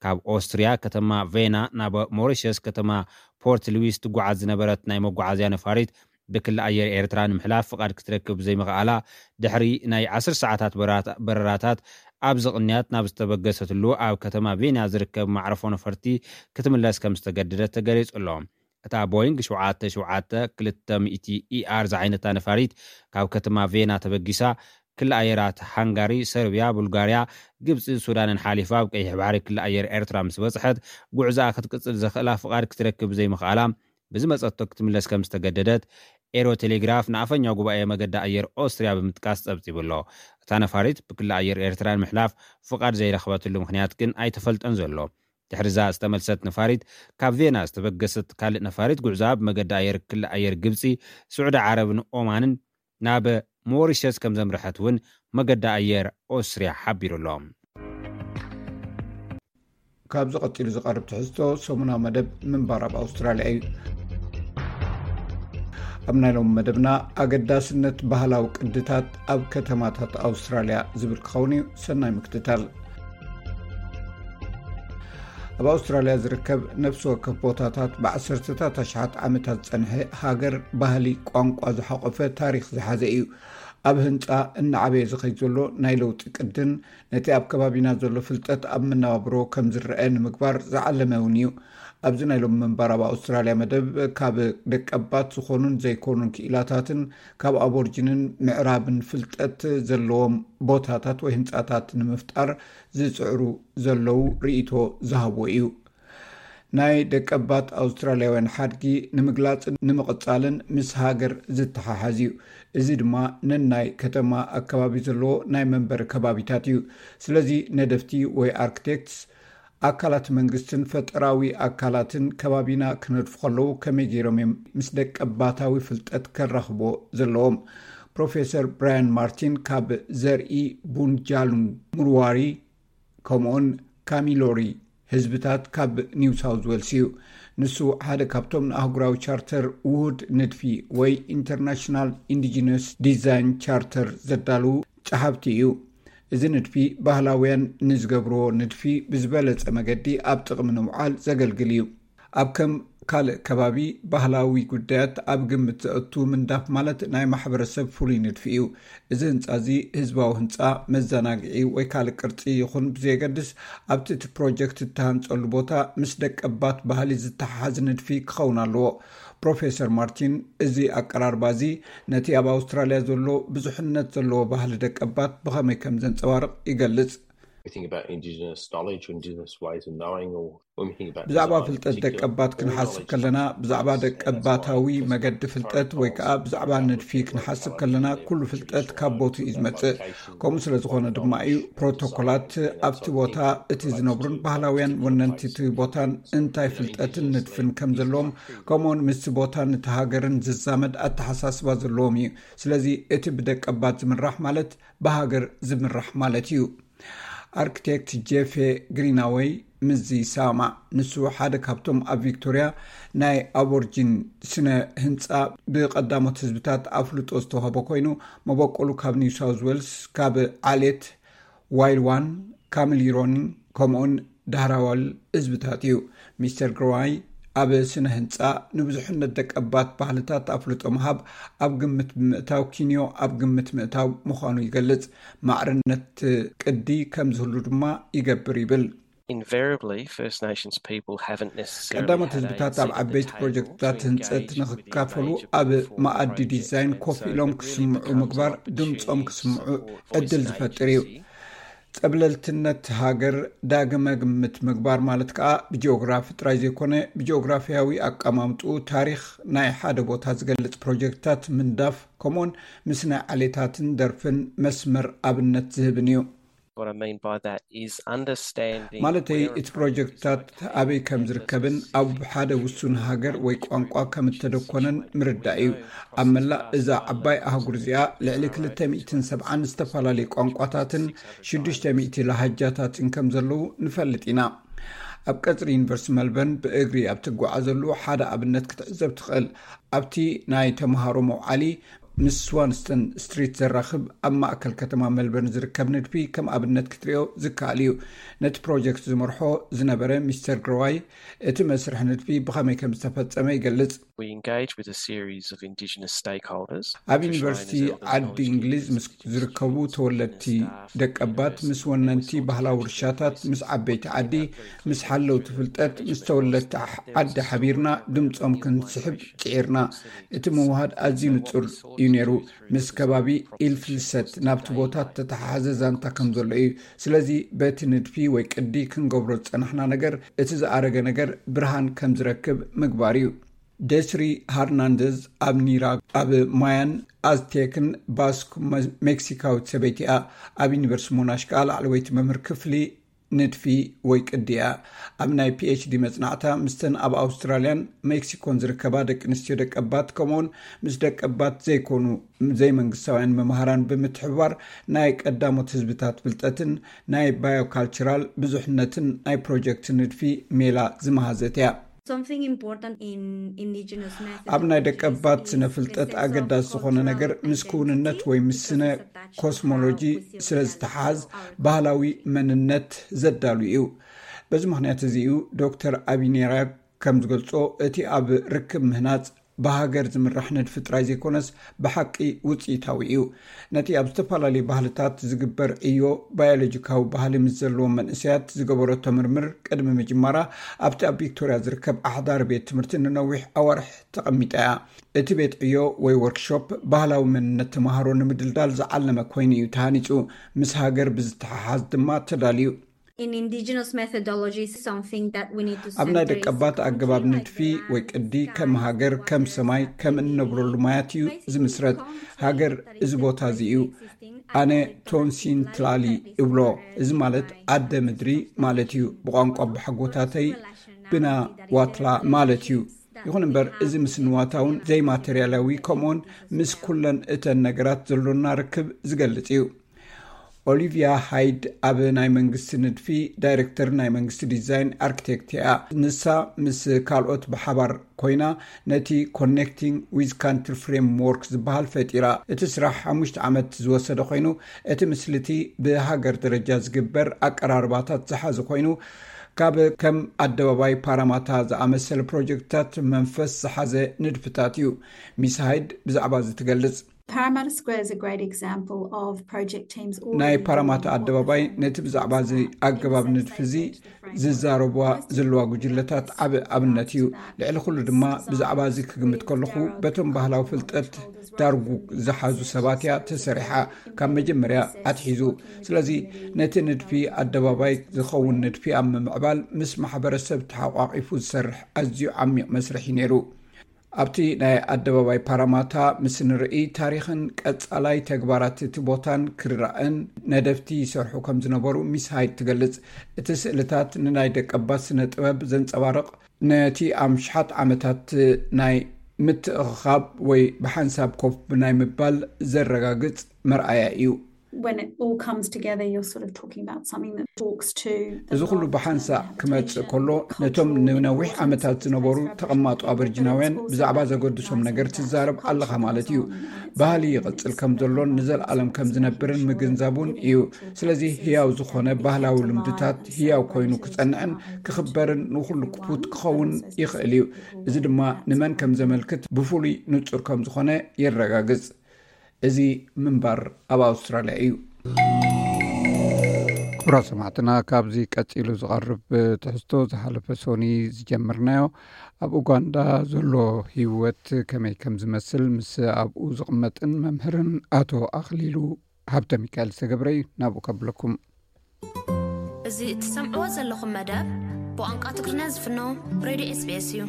ካብ ኦስትርያ ከተማ ቬና ናብ ሞሪሸስ ከተማ ፖርት ልዊስ ትጓዓዝ ዝነበረት ናይ መጓዓዝያ ነፋሪት ብክሊ ኣየር ኤርትራ ንምሕላፍ ፍቓድ ክትረክብ ዘይምኽኣላ ድሕሪ ናይ ዓሰርተ ሰዓታት በረራታ-፣ በረራታት ኣብዚ ቅንያት ናብ ዝተበገሰትሉ ኣብ ከተማ ቬና ዝርከብ ማዕረፎ ነፈርቲ ክትምለስ ከም ዝተገደደት ተገሊጹ ኣሎ። እታ ቦይንግ ሸውዓተ ሸውዓተ ክልተ ሚእቲ ኢኣር ዝዓይነታ ነፋሪት ካብ ከተማ ቬና ተበጊሳ ክሊ ኣየራት ሃንጋሪ፣ ሰርብያ፣ ቡልጋርያ፣ ግብፂ፣ ሱዳንን ሓሊፋ ኣብ ቀይሕ ባሕሪ ክሊ ኣየር ኤርትራ ምስ በፅሐት፣ ጉዕዞኣ ክትቅፅል ዘኽእላ ፍቓድ ክትረክብ ዘይምኽኣላ፣ ብዝመፀቶ ክትምለስ ከም ዝተገደደት ኤሮ ቴሌግራፍ ንኣፈኛ ጉባኤ መገዲ ኣየር ኦስትርያ ብምጥቃስ ፀብፂቡ ኣሎ። እታ ነፋሪት ብክሊ ኣየር ኤርትራ ንምሕላፍ ፍቓድ ዘይረኽበትሉ ምኽንያት ግን ኣይተፈልጠን ዘሎ። ድሕሪዛ ዝተመልሰት ነፋሪት፣ ካብ ቬና ዝተበገሰት ካልእ ነፋሪት፣ ጉዕዞኣ ብመገዲ ኣየር ክሊ ኣየር ግብፂ፣ ስዑዲ ዓረብን ኦማንን ናብ ሞሪሸስ ከም ዘምርሐት እውን መገዲ ኣየር ኦስትርያ ሓቢሩ ኣሎ። ካብዚ ቀፂሉ ዝቐርብ ትሕዝቶ ሰሙናዊ መደብ ምንባር ኣብ ኣውስትራልያ እዩ። ኣብ ናይ ሎሚ መደብና፣ ኣገዳስነት ባህላዊ ቅድታት ኣብ ከተማታት ኣውስትራልያ ዝብል ክኸውን እዩ። ሰናይ ምክትታል። ኣብ ኣውስትራልያ ዝርከብ ነፍሲ ወከፍ ቦታታት ብዓሰርተታት ኣሽሓት ዓመታት ዝጸንሐ ሃገር፣ ባህሊ፣ ቋንቋ ዝሓቖፈ ታሪኽ ዝሓዘ እዩ። ኣብ ህንጻ እናዓበየ ዝኸይድ ዘሎ ናይ ለውጢ ቅድን ነቲ ኣብ ከባቢና ዘሎ ፍልጠት ኣብ መነባብሮ ከም ዝረአ ንምግባር ዝዓለመ እውን እዩ። ኣብዚ ናይ ሎሚ ምንባር ኣብ ኣውስትራልያ መደብ፣ ካብ ደቀባት ዝኾኑን ዘይኮኑን ክኢላታትን ካብ ኣቦርጅንን ምዕራብን ፍልጠት ዘለዎም ቦታታት ወይ ህንጻታት ንምፍጣር ዝጽዕሩ ዘለዉ ርእይቶ ዝሃብዎ እዩ። ናይ ደቀባት ኣውስትራልያውያን ሓድጊ ንምግላጽን ንምቕጻልን ምስ ሃገር ዝተሓሓዝ እዩ። እዚ ድማ ነናይ ከተማ ኣከባቢ ዘለዎ ናይ መንበሪ ከባቢታት እዩ። ስለዚ ነደፍቲ ወይ ኣርክቴክትስ፣ ኣካላት መንግስትን ፈጠራዊ ኣካላትን ከባቢና ክነድፉ ከለዉ ከመይ ገይሮም እዮም ምስ ደቀባታዊ ፍልጠት ከራኽቦ ዘለዎም? ፕሮፌሰር ብራያን ማርቲን ካብ ዘርኢ ቡንጃሉን ሙርዋሪ ከምኡውን ካሚሎሪ ህዝብታት ካብ ኒው ሳውዝ ዌልስ እዩ። ንሱ ሓደ ካብቶም ንኣህጉራዊ ቻርተር ውሁድ ንድፊ ወይ ኢንተርናሽናል ኢንዲጂነስ ዲዛይን ቻርተር ዘዳልዉ ጸሓፍቲ እዩ። እዚ ንድፊ ባህላውያን ንዝገብርዎ ንድፊ ብዝበለጸ መገዲ ኣብ ጥቕሚ ንምውዓል ዘገልግል እዩ። ኣብ ከም ካልእ ከባቢ ባህላዊ ጉዳያት ኣብ ግምት ዘእቱ ምንዳፍ ማለት ናይ ማሕበረሰብ ፍሉይ ንድፊ እዩ። እዚ ህንጻ እዚ ህዝባዊ ህንጻ፣ መዘናግዒ ወይ ካልእ ቅርጺ ይኹን ብዘየገድስ፣ ኣብቲ እቲ ፕሮጀክት እተሃንጸሉ ቦታ ምስ ደቀባት ባህሊ ዝተሓሓዝ ንድፊ ክኸውን ኣለዎ። ፕሮፌሰር ማርቲን፣ እዚ ኣቀራርባ እዚ ነቲ ኣብ ኣውስትራልያ ዘሎ ብዙሕነት ዘለዎ ባህሊ ደቀባት ብኸመይ ከም ዘንጸባርቕ ይገልጽ። We think about indigenous knowledge or indigenous ways of knowing, or when we think about ብዛዕባ design in ፍልጠት particular, ደቀባት all ክንሓስብ knowledge ከለና፣ comes from ብዛዕባ place, and that's why ደቀባታዊ it's መገዲ important ፍልጠት ወይ ከዓ ብዛዕባ ንድፊ ክንሓስብ ከለና፣ ኩሉ ፍልጠት ካብ ቦትኡ እዩ ዝመጽእ። ከምኡ ስለ ዝኾነ ድማ እዩ ፕሮቶኮላት ኣብቲ ቦታ እቲ ዝነብሩን ባህላውያን ወነንቲ እቲ ቦታን እንታይ ፍልጠትን ንድፍን ከም ዘለዎም፣ ከምኡውን ምስቲ ቦታን እቲ ሃገርን ዝዛመድ ኣተሓሳስባ ዘለዎም እዩ። ስለዚ እቲ ብደቀባት ዝምራሕ ማለት ብሃገር ዝምራሕ ማለት እዩ። ኣርክቴክት ጄፌ ግሪናወይ ምስዚ ይሰማማዕ። ንሱ ሓደ ካብቶም ኣብ ቪክቶርያ ናይ ኣቦርጂን ስነ ህንጻ ብቐዳሞት ህዝብታት ኣፍልጦ ዝተዋህቦ ኮይኑ፣ መበቆሉ ካብ ኒው ሳውዝ ዌልስ፣ ካብ ዓሌት ዋይልዋን፣ ካምሊሮን፣ ከምኡውን ዳህራዋል ህዝብታት እዩ። ሚስተር ግርዋይ ኣብ ስነ ህንጻ ንብዙሕነት ደቀባት ባህልታት ኣፍልጦ ምሃብ ኣብ ግምት ብምእታው፣ ኪንዮ ኣብ ግምት ምእታው ምዃኑ ይገልጽ። ማዕርነት ቅዲ ከም ዝህሉ ድማ ይገብር ይብል። Invariably, First Nations people haven't necessarily ቀዳሞት had a ህዝብታት ኣብ seat at the ዓበይቲ table ፕሮጀክትታት to ህንጸት engage with the ንክካፈሉ engagement ኣብ form መኣዲ project, ዲዛይን and ኮፍ so ኢሎም it really ክስምዑ becomes an ምግባር፣ ድምጾም opportunity ክስምዑ for ዕድል First ዝፈጥር እዩ። Agency. ጸብለልትነት ሃገር ዳግመ ግምት ምግባር ማለት ከኣ ብጂኦግራፊ ጥራይ ዘይኮነ፣ ብጂኦግራፊያዊ ኣቀማምጥኡ፣ ታሪኽ ናይ ሓደ ቦታ ዝገልጽ ፕሮጀክትታት ምንዳፍ፣ ከምኡውን ምስ ናይ ዓሌታትን ደርፍን መስመር ኣብነት ዝህብን እዩ። What I mean by that is understanding ማለተይ፣ where a እቲ project is ፕሮጀክትታት located ኣበይ ከም and ዝርከብን፣ the ኣብ ሓደ ውሱን ሃገር ወይ ቋንቋ ከም እተደኮነን ምርዳእ እዩ። ኣብ መላእ እዛ ዓባይ ኣህጉር እዚኣ፣ ልዕሊ ክልተ ሚእትን ሰብዓን ዝተፈላለዩ ቋንቋታትን ሽዱሽተ ሚእቲ ላሃጃታትን ከም ዘለዉ ንፈልጥ ኢና። ኣብ ቀጽሪ ዩኒቨርሲቲ መልበርን ብእግሪ ኣብ ትጓዓዘሉ ሓደ ኣብነት ክትዕዘብ ትኽእል። ኣብቲ ናይ ተምሃሮ መውዓሊ፣ ምስ ስዋንስተን ስትሪት ዘራኽብ፣ ኣብ ማእከል ከተማ መልበርን ዝርከብ ንድፊ ከም ኣብነት ክትሪኦ ዝከኣል እዩ። ነቲ ፕሮጀክት ዝመርሖ ዝነበረ ሚስተር ግሮዋይ፣ እቲ መስርሕ ንድፊ ብኸመይ ከም ዝተፈጸመ ይገልጽ። We engage with a series of Indigenous stakeholders, ኣብ First ዩኒቨርሲቲ Nations, Elders, ዓዲ Knowledge እንግሊዝ ምስ Communities, ዝርከቡ Communities, ተወለድቲ Indigenous staff, ደቀባት፣ ምስ ወነንቲ ባህላዊ ውርሻታት፣ ምስ ዓበይቲ ዓዲ፣ ምስ ሓለውቲ ፍልጠት፣ ምስ ተወለድቲ ዓዲ ሓቢርና ድምጾም ክንስሕብ ጽዒርና። እቲ ምውሃድ ኣዝዩ ንጹር እዩ። እዩ ነይሩ። ምስ ከባቢ ኢል ፍልሰት ናብቲ ቦታ ተተሓሓዘ ዛንታ ከም ዘሎ እዩ። ስለዚ በቲ ንድፊ ወይ ቅዲ ክንገብሮ ዝጸናሕና ነገር፣ እቲ ዝኣረገ ነገር ብርሃን ከም ዝረክብ ምግባር እዩ። ደስሪ ሃርናንደዝ ኣብ ኒራ ኣብ ማያን ኣዝቴክን ባስክ መ- ሜክሲካዊት ሰበይቲ እያ። ኣብ ዩኒቨርሲቲ ሞናሽ ከኣ ላዕለወይቲ መምህር ክፍሊ ንድፊ ወይ ቅዲ እያ። ኣብ ናይ ፒኤችዲ መጽናዕታ ምስተን ኣብ ኣውስትራልያን ሜክሲኮን ዝርከባ ደቂ ኣንስትዮ ደቀባት ከምኡውን ምስ ደቀባት ዘይኮኑ ዘይመንግስታውያን መምሃራን ብምትሕብባር ናይ ቀዳሞት ህዝብታት ፍልጠትን ናይ ባዮካልቸራል ብዙሕነትን ናይ ፕሮጀክት ንድፊ ሜላ ዝመሃዘት እያ። Something important in indigenous methodology ኣብ ናይ ደቀባት ስነ ፍልጠት ኣገዳሲ ዝኾነ ነገር ምስ ክውንነት ወይ ምስ ስነ ኮስሞሎጂ ስለ ዝተሓዝ ባህላዊ መንነት ዘዳሉ እዩ። በዚ ምኽንያት እዚ እዩ ዶክተር ኣቢኔራ ከም ዝገልጾ እቲ ኣብ ርክብ ምህናጽ ብሃገር ዝምራሕ ንድፊ ጥራይ ዘይኮነስ ብሓቂ ውፅኢታዊ እዩ። ነቲ ኣብ ዝተፈላለዩ ባህልታት ዝግበር ዕዮ ባዮሎጂካዊ ባህሊ ምስ ዘለዎም መንእሰያት ዝገበረቶ ምርምር ቅድሚ ምጅማራ ኣብቲ ኣብ ቪክቶርያ ዝርከብ ኣሕዳሪ ቤት ትምህርቲ ንነዊሕ ኣዋርሕ ተቐሚጣ እያ። እቲ ቤት ዕዮ ወይ ወርክሾፕ ባህላዊ መንነት ተምሃሮ ንምድልዳል ዝዓለመ ኮይኑ እዩ ተሃኒፁ። ምስ ሃገር ብዝተሓሓዝ ድማ ተዳልዩ። In indigenous methodology is something that we need to ኣብ ናይ center is ደቀባት ኣገባብ country, ንድፊ ወይ ቅዲ ከም ሃገር ከም ሰማይ ከም እንነብረሉ ማያት እዩ ዝምስረት። ሃገር እዚ ቦታ እዚ እዩ። ኣነ ቶንሲን ትላሊ እብሎ። እዚ ማለት ኣደ ምድሪ ማለት እዩ። ብቋንቋ ብሓጎታተይ ብና ዋትላ ማለት እዩ። ይኹን እምበር እዚ ምስ ንዋታውን ዘይማተርያላዊ ከምኡውን ምስ ኩለን እተን ነገራት ዘሎና ርክብ ዝገልጽ እዩ። ኦሊቪያ ሃይድ ኣብ ናይ መንግስቲ ንድፊ ዳይሬክተር ናይ መንግስቲ ዲዛይን ኣርክቴክት እያ። ንሳ ምስ ካልኦት ብሓባር ኮይና ነቲ ኮኔክቲንግ ዊዝ ካንትሪ ፍሬምወርክ ዝበሃል ፈጢራ። እቲ ስራሕ ሓሙሽተ ዓመት ዝወሰደ ኮይኑ እቲ ምስልቲ ብሃገር ደረጃ ዝግበር ኣቀራርባታት ዝሓዘ ኮይኑ ካብ ከም ኣደባባይ ፓራማታ ዝኣመሰለ ፕሮጀክትታት መንፈስ ዝሓዘ ንድፍታት እዩ። ሚስ ሃይድ ብዛዕባ እዚ ትገልጽ። Parramatta Square is a great example of project teams ናይ ፓራማታ ኣደባባይ ነቲ ብዛዕባ እዚ ኣገባብ ንድፊ እዚ ዝዛረቧ ዘለዋ ጉጅለታት ዓቢ ኣብነት እዩ። ልዕሊ ኩሉ ድማ ብዛዕባ እዚ ክግምት ከለኹ በቶም ባህላዊ ፍልጠት ዳርጉ ዝሓዙ ሰባት እያ ተሰሪሓ ካብ መጀመርያ ኣትሒዙ። ስለዚ ነቲ ንድፊ ኣደባባይ ዝኸውን ንድፊ ኣብ ምምዕባል ምስ ማሕበረሰብ ተሓቋቒፉ ዝሰርሕ ኣዝዩ ዓሚቕ መስርሕ እዩ ነይሩ። ኣብቲ ናይ ኣደባባይ ፓራማታ ምስ ንርኢ ታሪኽን ቀጻላይ ተግባራት እቲ ቦታን ክርዳእን ነደፍቲ ይሰርሑ ከም ዝነበሩ ሚስ ሃይድ ትገልጽ። እቲ ስእልታት ንናይ ደቀባት ስነ ጥበብ ዘንጸባርቕ ነቲ ኣምሽሓት ዓመታት ናይ ምትእኽኻብ ወይ ብሓንሳብ ኮፍ ናይ ምባል ዘረጋግጽ መርኣያ እዩ። When it all comes together, you're sort of talking about something that talks to እዚ ኩሉ ብሓንሳእ ክመጽእ ከሎ ነቶም ንነዊሕ ዓመታት ዝነበሩ ተቐማጦ ኣበርጅናውያን ብዛዕባ ዘገድሶም ነገር ትዛረብ ኣለኻ ማለት እዩ። ባህሊ ይቕጽል ከም ዘሎን ንዘለኣለም ከም ዝነብርን ምግንዛቡን እዩ። ስለዚ ህያው ዝኾነ ባህላዊ ልምድታት ህያው ኮይኑ ክጸንዕን ክኽበርን ንኹሉ ክፉት ክኸውን ይኽእል እዩ። እዚ ድማ ንመን ከም ዘመልክት ብፍሉይ ንጹር ከም ዝኾነ የረጋግጽ። እዚ ምንባር ኣብ ኣውስትራልያ እዩ። ክቡራት ሰማዕትና፣ ካብዚ ቀጺሉ ዝቐርብ ትሕዝቶ ዝሓለፈ ሶኒ ዝጀመርናዮ ኣብ ኡጋንዳ ዘሎ ህይወት ከመይ ከም ዝመስል ምስ ኣብኡ ዝቕመጥን መምህርን ኣቶ ኣኽሊሉ ሃብተ ሚካኤል ዝተገብረ እዩ። ናብኡ ከብለኩም። እዚ እትሰምዕዎ ዘለኹም መደብ ብቋንቋ ትግርኛ ዝፍኖ ሬድዮ ኤስቢኤስ እዩ።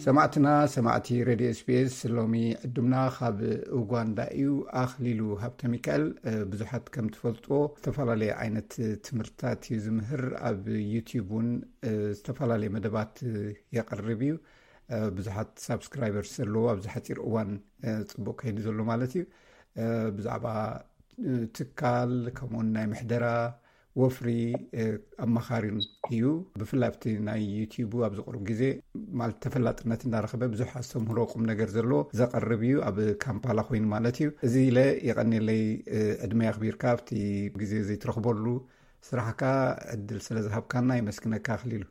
ሰማዕትና ሰማዕቲ ሬድዮ ኤስቢኤስ፣ ሎሚ ዕዱምና ካብ ኡጋንዳ እዩ። ኣኽሊሉ ሃብተ ሚካኤል ብዙሓት ከም ትፈልጥዎ ዝተፈላለየ ዓይነት ትምህርትታት እዩ ዝምህር። ኣብ ዩቲዩብ እውን ዝተፈላለየ መደባት የቕርብ እዩ። ብዙሓት ሳብስክራይበርስ ዘለዎ ኣብዚ ሓፂር እዋን ፅቡቅ ከይዱ ዘሎ ማለት እዩ። ብዛዕባ ትካል ከምኡውን ናይ ምሕደራ ወፍሪ ኣማኻሪን እዩ። ብፍላይ ኣብቲ ናይ ዩቲዩቡ ኣብዚ ቅሩብ ግዜ ማለት ተፈላጥነት እንዳረኸበ ብዙሕ ኣስተምህሮ ቁም ነገር ዘለዎ ዘቐርብ እዩ። ኣብ ካምፓላ ኮይኑ ማለት እዩ። እዚ ኢለ የቐንየለይ ዕድመ ኣኽቢርካ ኣብቲ ግዜ ዘይትረኽበሉ ስራሕካ ዕድል ስለ ዝሃብካና የመስግነካ ኣኽሊሉ።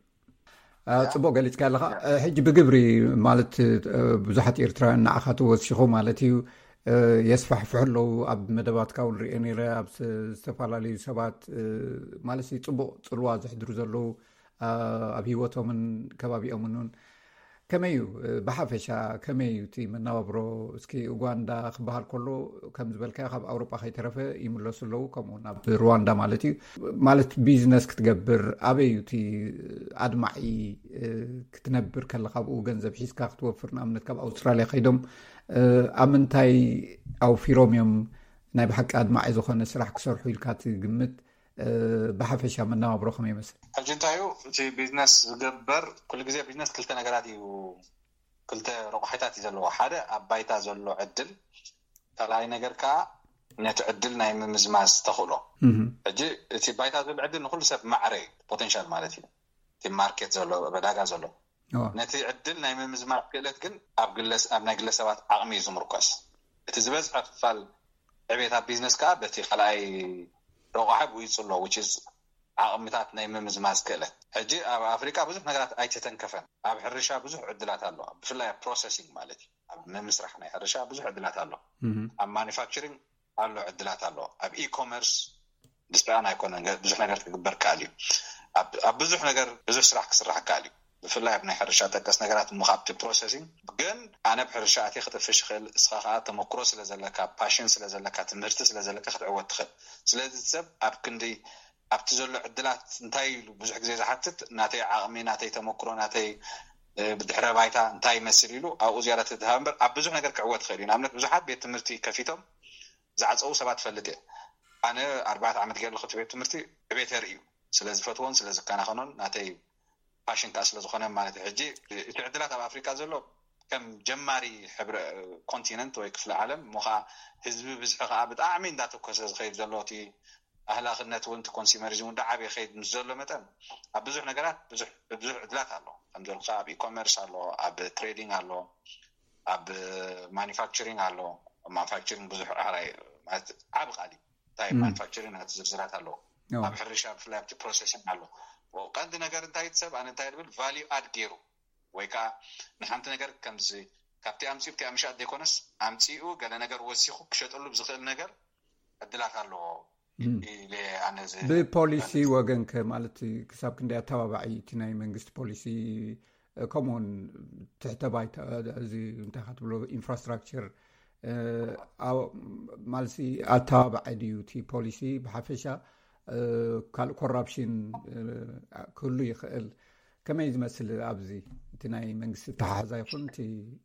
ጽቡቅ ገሊጽካ ኣለኻ። ሕጂ ብግብሪ ማለት ብዙሓት ኤርትራውያን ንዓኻ ተወሲኹ ማለት እዩ የስፋሕፍሑ ኣለዉ። ኣብ መደባትካ እውን ሪኦ ነይረ። ኣብ ዝተፈላለዩ ሰባት ማለት ጽቡቅ ጽልዋ ዘሕድሩ ዘለዉ ኣብ ህይወቶምን ከባቢኦምን እውን ከመይ እዩ ብሓፈሻ ከመይ እዩ እቲ መነባብሮ? እስኪ ኡጋንዳ ክበሃል ከሎ ከም ዝበልካዮ ካብ ኣውሮጳ ከይተረፈ ይምለሱ ኣለዉ፣ ከምኡ ናብ ሩዋንዳ ማለት እዩ። ማለት ቢዝነስ ክትገብር ኣበይ እዩ እቲ ኣድማዒ? ክትነብር ከለካ ኣብኡ ገንዘብ ሒዝካ ክትወፍር ንኣብነት ካብ ኣውስትራልያ ከይዶም ኣብ ምንታይ ኣውፊሮም እዮም ናይ ብሓቂ ኣድማዒ ዝኾነ ስራሕ ክሰርሑ ኢልካ ትግምት? ብሓፈሻ መነባብሮ ከመይ ይመስል? ሕጂ እንታይ እዩ እቲ ቢዝነስ ዝገበር? ኩሉ ግዜ ቢዝነስ ክልተ ነገራት እዩ፣ ክልተ ረቑሒታት እዩ ዘለዎ። ሓደ ኣብ ባይታ ዘሎ ዕድል፣ ካልኣይ ነገር ከዓ ነቲ ዕድል ናይ ምምዝማዝ ተኽእሎ። ሕጂ እቲ ባይታ ዘሎ ዕድል ንኩሉ ሰብ ማዕረ እዩ፣ ፖቴንሻል ማለት እዩ፣ እቲ ማርኬት ዘሎ ዕዳጋ ዘሎ። ነቲ ዕድል ናይ ምምዝማዝ ክእለት ግን ኣብ ግለስ ኣብ ናይ ግለሰባት ዓቕሚ እዩ ዝምርኮስ። እቲ ዝበዝሐ ክፋል ዕቤት ኣብ ቢዝነስ ከዓ በቲ ካልኣይ ረቑሓ ብኡ ይፅሎ፣ which is ዓቕምታት ናይ ምምዝማዝ ክእለት። ሕጂ ኣብ ኣፍሪቃ ብዙሕ ነገራት ኣይተተንከፈን። ኣብ ሕርሻ ብዙሕ ዕድላት ኣሎ፣ ብፍላይ ኣብ ፕሮሰሲንግ ማለት እዩ፣ ኣብ ምምስራሕ ናይ ሕርሻ ብዙሕ ዕድላት ኣሎ። ኣብ ማኒፋክቸሪንግ ኣሎ ዕድላት ኣሎ። ኣብ ኢኮመርስ ብስራን ኣይኮነን ብዙሕ ነገር ክግበር ከኣል እዩ። ኣብ ብዙሕ ነገር ብዙሕ ስራሕ ክስራሕ ከኣል እዩ። ብፍላይ ኣብ ናይ ሕርሻ ጠቀስ ነገራት እሞ ካብቲ ፕሮሰሲንግ ግን ኣነ ብሕርሻ ኣትየ ክጥፍሽ ይኽእል። እስኻ ከዓ ተመክሮ ስለ ዘለካ፣ ፓሽን ስለ ዘለካ፣ ትምህርቲ ስለ ዘለካ ክትዕወት ትኽእል። ስለዚ ሰብ ኣብ ክንዲ ኣብቲ ዘሎ ዕድላት እንታይ ኢሉ ብዙሕ ግዜ ዝሓትት ናተይ ዓቕሚ፣ ናተይ ተመክሮ፣ ናተይ ብድሕረ ባይታ እንታይ ይመስል ኢሉ ኣብኡ ዝያዳ ተድሃብ እምበር ኣብ ብዙሕ ነገር ክዕወት ይኽእል እዩ። ንኣብነት ብዙሓት ቤት ትምህርቲ ከፊቶም ዝዓፀዉ ሰባት ፈልጥ እየ። ኣነ ኣርባዕተ ዓመት ገይረ ኣለኹ እቲ ቤት ትምህርቲ፣ ዕቤት የርኢ እዩ። ስለ ዝፈትዎን ስለ ዝከናኸኖን ናተይ ፓሽን ከዓ ስለ ዝኾነ ማለት እዩ። ሕጂ እቲ ዕድላት ኣብ ኣፍሪካ ዘሎ ከም ጀማሪ ሕብረ ኮንቲነንት ወይ ክፍለ ዓለም እሞ ከዓ ህዝቢ ብዝሒ ከዓ ብጣዕሚ እንዳተኮሰ ዝኸይድ ዘሎ እቲ ኣህላኽነት እውን እቲ ኮንሱመሪዝም እውን ዳዓበየ ከይድ ምስ ዘሎ መጠን ኣብ ብዙሕ ነገራት ብዙሕ ብዙሕ ዕድላት ኣሎ። ከም ዘልካ ኣብ ኢኮመርስ ኣሎ፣ ኣብ ትሬዲንግ ኣሎ፣ ኣብ ማኒፋክቸሪንግ ኣሎ። ማኒፋክቸሪንግ ብዙሕ ዓራይ ማለት ዓቢ ቃል እዩ። እንታይ ማኒፋክቸሪንግ ናቲ ዝርዝራት ኣለዎ። ኣብ ሕርሻ ብፍላይ ኣብቲ ፕሮሰሲንግ ኣሎ። ቀንዲ ነገር እንታይ እቲ ሰብ ኣነ እንታይ ዝብል ቫልዩ ኣድ ገይሩ ወይ ከዓ ንሓንቲ ነገር ከምዚ ካብቲ ኣምፂኡ ብቲ ምሻጥ ዘይኮነስ ኣምፂኡ ገለ ነገር ወሲኹ ክሸጠሉ ብዝኽእል ነገር ዕድላት ኣለዎ። ብፖሊሲ ወገን ከ ማለት ክሳብ ክንደይ ኣተባባዒ እቲ ናይ መንግስቲ ፖሊሲ? ከምኡውን ትሕተ ባይታ እዚ እንታይ ካ ትብሎ ኢንፍራስትራክቸር ማለት ኣተባባዒ ድዩ እቲ ፖሊሲ ብሓፈሻ? ካልእ ኮራፕሽን ክህሉ ይኽእል። ከመይ ዝመስል ኣብዚ እቲ ናይ መንግስቲ ተሓዛ ይኹን እቲ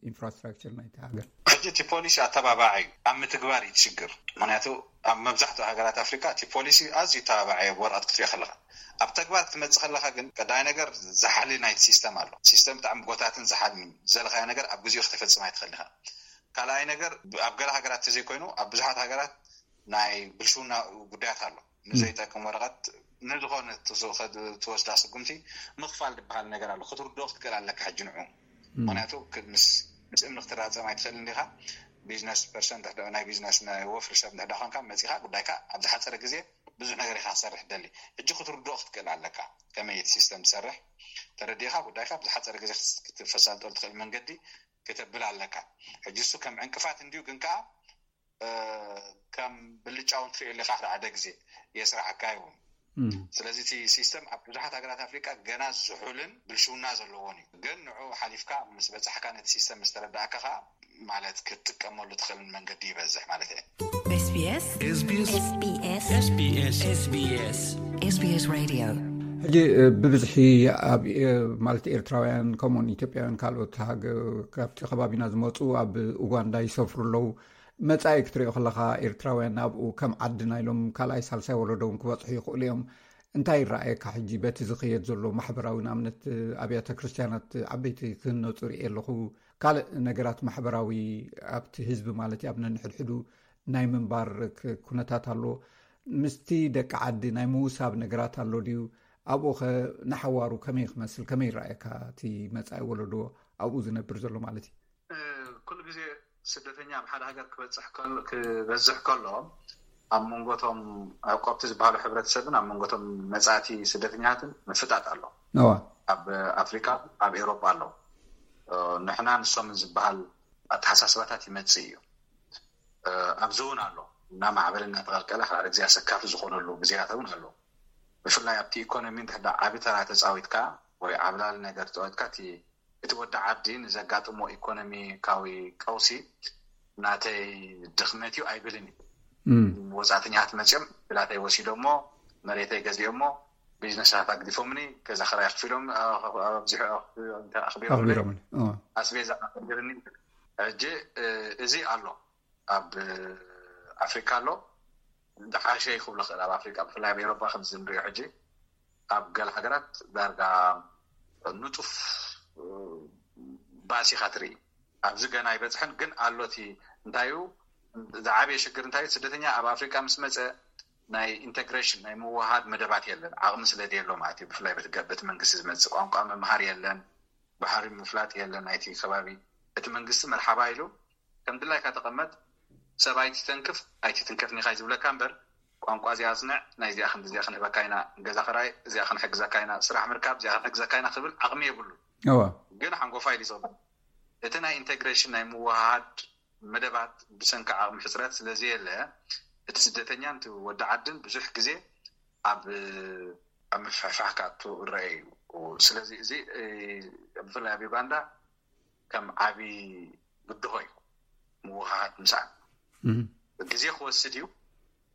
ኢንፍራስትራክቸር ናይቲ ሃገር? ሕጂ እቲ ፖሊሲ ኣተባባዒ እዩ፣ ኣብ ምትግባር እዩ ሽግር። ምክንያቱ ኣብ መብዛሕትኡ ሃገራት ኣፍሪካ እቲ ፖሊሲ ኣዝዩ ተባባዒ ኣብ ወረቐት ክትሪኦ ከለካ፣ ኣብ ተግባር ክትመፅእ ከለካ ግን ቀዳይ ነገር ዝሓሊ ናይቲ ሲስተም ኣሎ። ሲስተም ብጣዕሚ ጎታትን ዝሓልን እዩ። ዘለካዮ ነገር ኣብ ግዜኡ ከተፈፅም ኣይትኽእል ኢኻ። ካልኣይ ነገር ኣብ ገለ ሃገራት ተዘይኮይኑ ኣብ ብዙሓት ሃገራት ናይ ብልሽውና ጉዳያት ኣሎ። ንዘይጠቅም ወረቐት ንዝኾነ ትወስዳ ስጉምቲ ምኽፋል ዝበሃል ነገር ኣሎ። ክትርድኦ ክትክእል ኣለካ ሕጂ ንዑ። ምክንያቱ ምስ እምኒ ክትራፀም ኣይትኽእል እንዲኻ። ቢዝነስ ፐርሰን ናይ ቢዝነስ ናይ ወፍሪ ሰብ ንሕዳ ኮንካ መፂኻ ጉዳይካ ኣብ ዝሓፀረ ግዜ ብዙሕ ነገር ኢኻ ክሰርሕ ደሊ። ሕጂ ክትርድኦ ክትክእል ኣለካ ከመይ እቲ ሲስተም ትሰርሕ ተረዲኻ ጉዳይካ ብዝሓፀረ ግዜ ክትፈሳልጠሉ ትኽእል መንገዲ ክተብል ኣለካ። ሕጂ እሱ ከም ዕንቅፋት እንዲዩ ግን ከዓ ከም ብልጫ እውን ትሪኦ ኣለካ ሓደ ግዜ የስራሓካ ይውን። ስለዚ እቲ ሲስተም ኣብ ብዙሓት ሃገራት ኣፍሪቃ ገና ዝሑልን ብልሽውና ዘለዎን እዩ። ግን ንዑ ሓሊፍካ ምስ በፃሕካ ነቲ ሲስተም ምስ ተረዳእካ ከዓ ማለት ክትጥቀመሉ ትኽእል መንገዲ ይበዝሕ ማለት እየ። SBS SBS SBS SBS SBS Radio ሕጂ ብብዝሒ ኣብ ማለት ኤርትራውያን ከምኡውን ኢትዮጵያውያን ካልኦት ካብቲ ከባቢና ዝመፁ ኣብ ኡጋንዳ ይሰፍሩ ኣለዉ። መጻኢ ክትሪኦ ከለኻ ኤርትራውያን ኣብኡ ከም ዓድና ኢሎም ካልኣይ ሳልሳይ ወለዶ እውን ክበጽሑ ይኽእሉ እዮም። እንታይ ይረኣየካ ሕጂ በቲ ዝኸየድ ዘሎ ማሕበራዊ ንኣብነት ኣብያተ ክርስትያናት ዓበይቲ ክህነፁ ርእየ ኣለኹ። ካልእ ነገራት ማሕበራዊ ኣብቲ ህዝቢ ማለት እዩ ኣብ ነንሕድሕዱ ናይ ምንባር ኩነታት ኣሎ። ምስቲ ደቂ ዓዲ ናይ ምውሳብ ነገራት ኣሎ ድዩ? ኣብኡ ኸ ንሓዋሩ ከመይ ክመስል ከመይ ይረኣየካ እቲ መጻኢ ወለዶ ኣብኡ ዝነብር ዘሎ ማለት እዩ? ኩሉ ግዜ ስደተኛ ኣብ ሓደ ሃገር ክበዝሕ ከሎ ኣብ መንጎቶም ዕቆብቲ ዝበሃሉ ሕብረተሰብን ኣብ መንጎቶም መጻእቲ ስደተኛታትን ምፍጣጥ ኣሎ። ኣብ ኣፍሪካ ኣብ ኤውሮጳ ኣሎ። ንሕና ንሶምን ዝበሃል ኣተሓሳስባታት ይመጽእ እዩ። ኣብዚ እውን ኣሎ እናማዕበለ እናተቐልቀለ ሓደ ግዜ ኣሰካፊ ዝኾነሉ ግዜያት እውን ኣሎ። ብፍላይ ኣብቲ ኢኮኖሚ እንድሕዳ ዓቢ ተራ ተፃዊትካ ወይ ዓብላሊ ነገር ተፃዊትካ እቲ እቲ ወዲ ዓዲ ንዘጋጥሞ ኢኮኖሚካዊ ቀውሲ ናተይ ድኽመት እዩ ኣይብልን እዩ። ወፃእተኛታት መፅኦም ብላተይ ወሲዶሞ፣ መሬተይ ገዚኦሞ፣ ቢዝነሳት ኣግዲፎምኒ፣ ገዛ ክራይ ኣኽፊሎም ኣብዚሑ ኣኽቢሮምኒ፣ ኣስቤዛ ኣኽቢርኒ። ሕጂ እዚ ኣሎ፣ ኣብ ኣፍሪካ ኣሎ። ዝሓሸ ይክብሎ ክእል ኣብ ኣፍሪካ፣ ብፍላይ ኣብ ኤሮፓ ከምዚ ንሪኦ ሕጂ ኣብ ገለ ሃገራት ዳርጋ ንጡፍ ባእሲ ኢካ ትርኢ። ኣብዚ ገና ኣይበፅሐን፣ ግን ኣሎ። እቲ እንታይ እዩ ዝዓበየ ሽግር እንታይ እዩ? ስደተኛ ኣብ ኣፍሪካ ምስ መፀ ናይ ኢንተግሬሽን ናይ ምውሃድ መደባት የለን። ዓቕሚ ስለ ዘየሎ ማለት እዩ። ብፍላይ በቲ መንግስቲ ዝመፅእ ቋንቋ ምምሃር የለን፣ ባህሪ ምፍላጥ የለን ናይቲ ከባቢ። እቲ መንግስቲ መርሓባ ኢሉ ከም ድላይካ ተቐመጥ፣ ሰብ ኣይትተንክፍ ኣይትትንከፍን ኢኻ እዩ ዝብለካ እምበር፣ ቋንቋ እዚኣ ኣፅንዕ፣ ናይ እዚኣ ክንዲ እዚኣ ክንህበካ ኢና፣ ገዛ ክራይ እዚኣ ክንሕግዘካ ኢና፣ ስራሕ ምርካብ እዚኣ ክንሕግዘካ ኢና ክብል ዓቕሚ የብሉ። ግን ሓንጎፋይ ኢሉ ይፅበ። እቲ ናይ ኢንቴግሬሽን ናይ ምውሃድ መደባት ብሰንኪ ዓቕሚ ሕፅረት ስለዘየለ፣ እቲ ስደተኛን እቲ ወዲ ዓድን ብዙሕ ግዜ ኣብ ኣብ ምፍሕፋሕ ክኣቱ እረአ እዩ። ስለዚ እዚ ብፍላይ ኣብ ዩጋንዳ ከም ዓቢ ብድሆ እዩ ምውሃሃድ ምስኣን። ግዜ ክወስድ እዩ።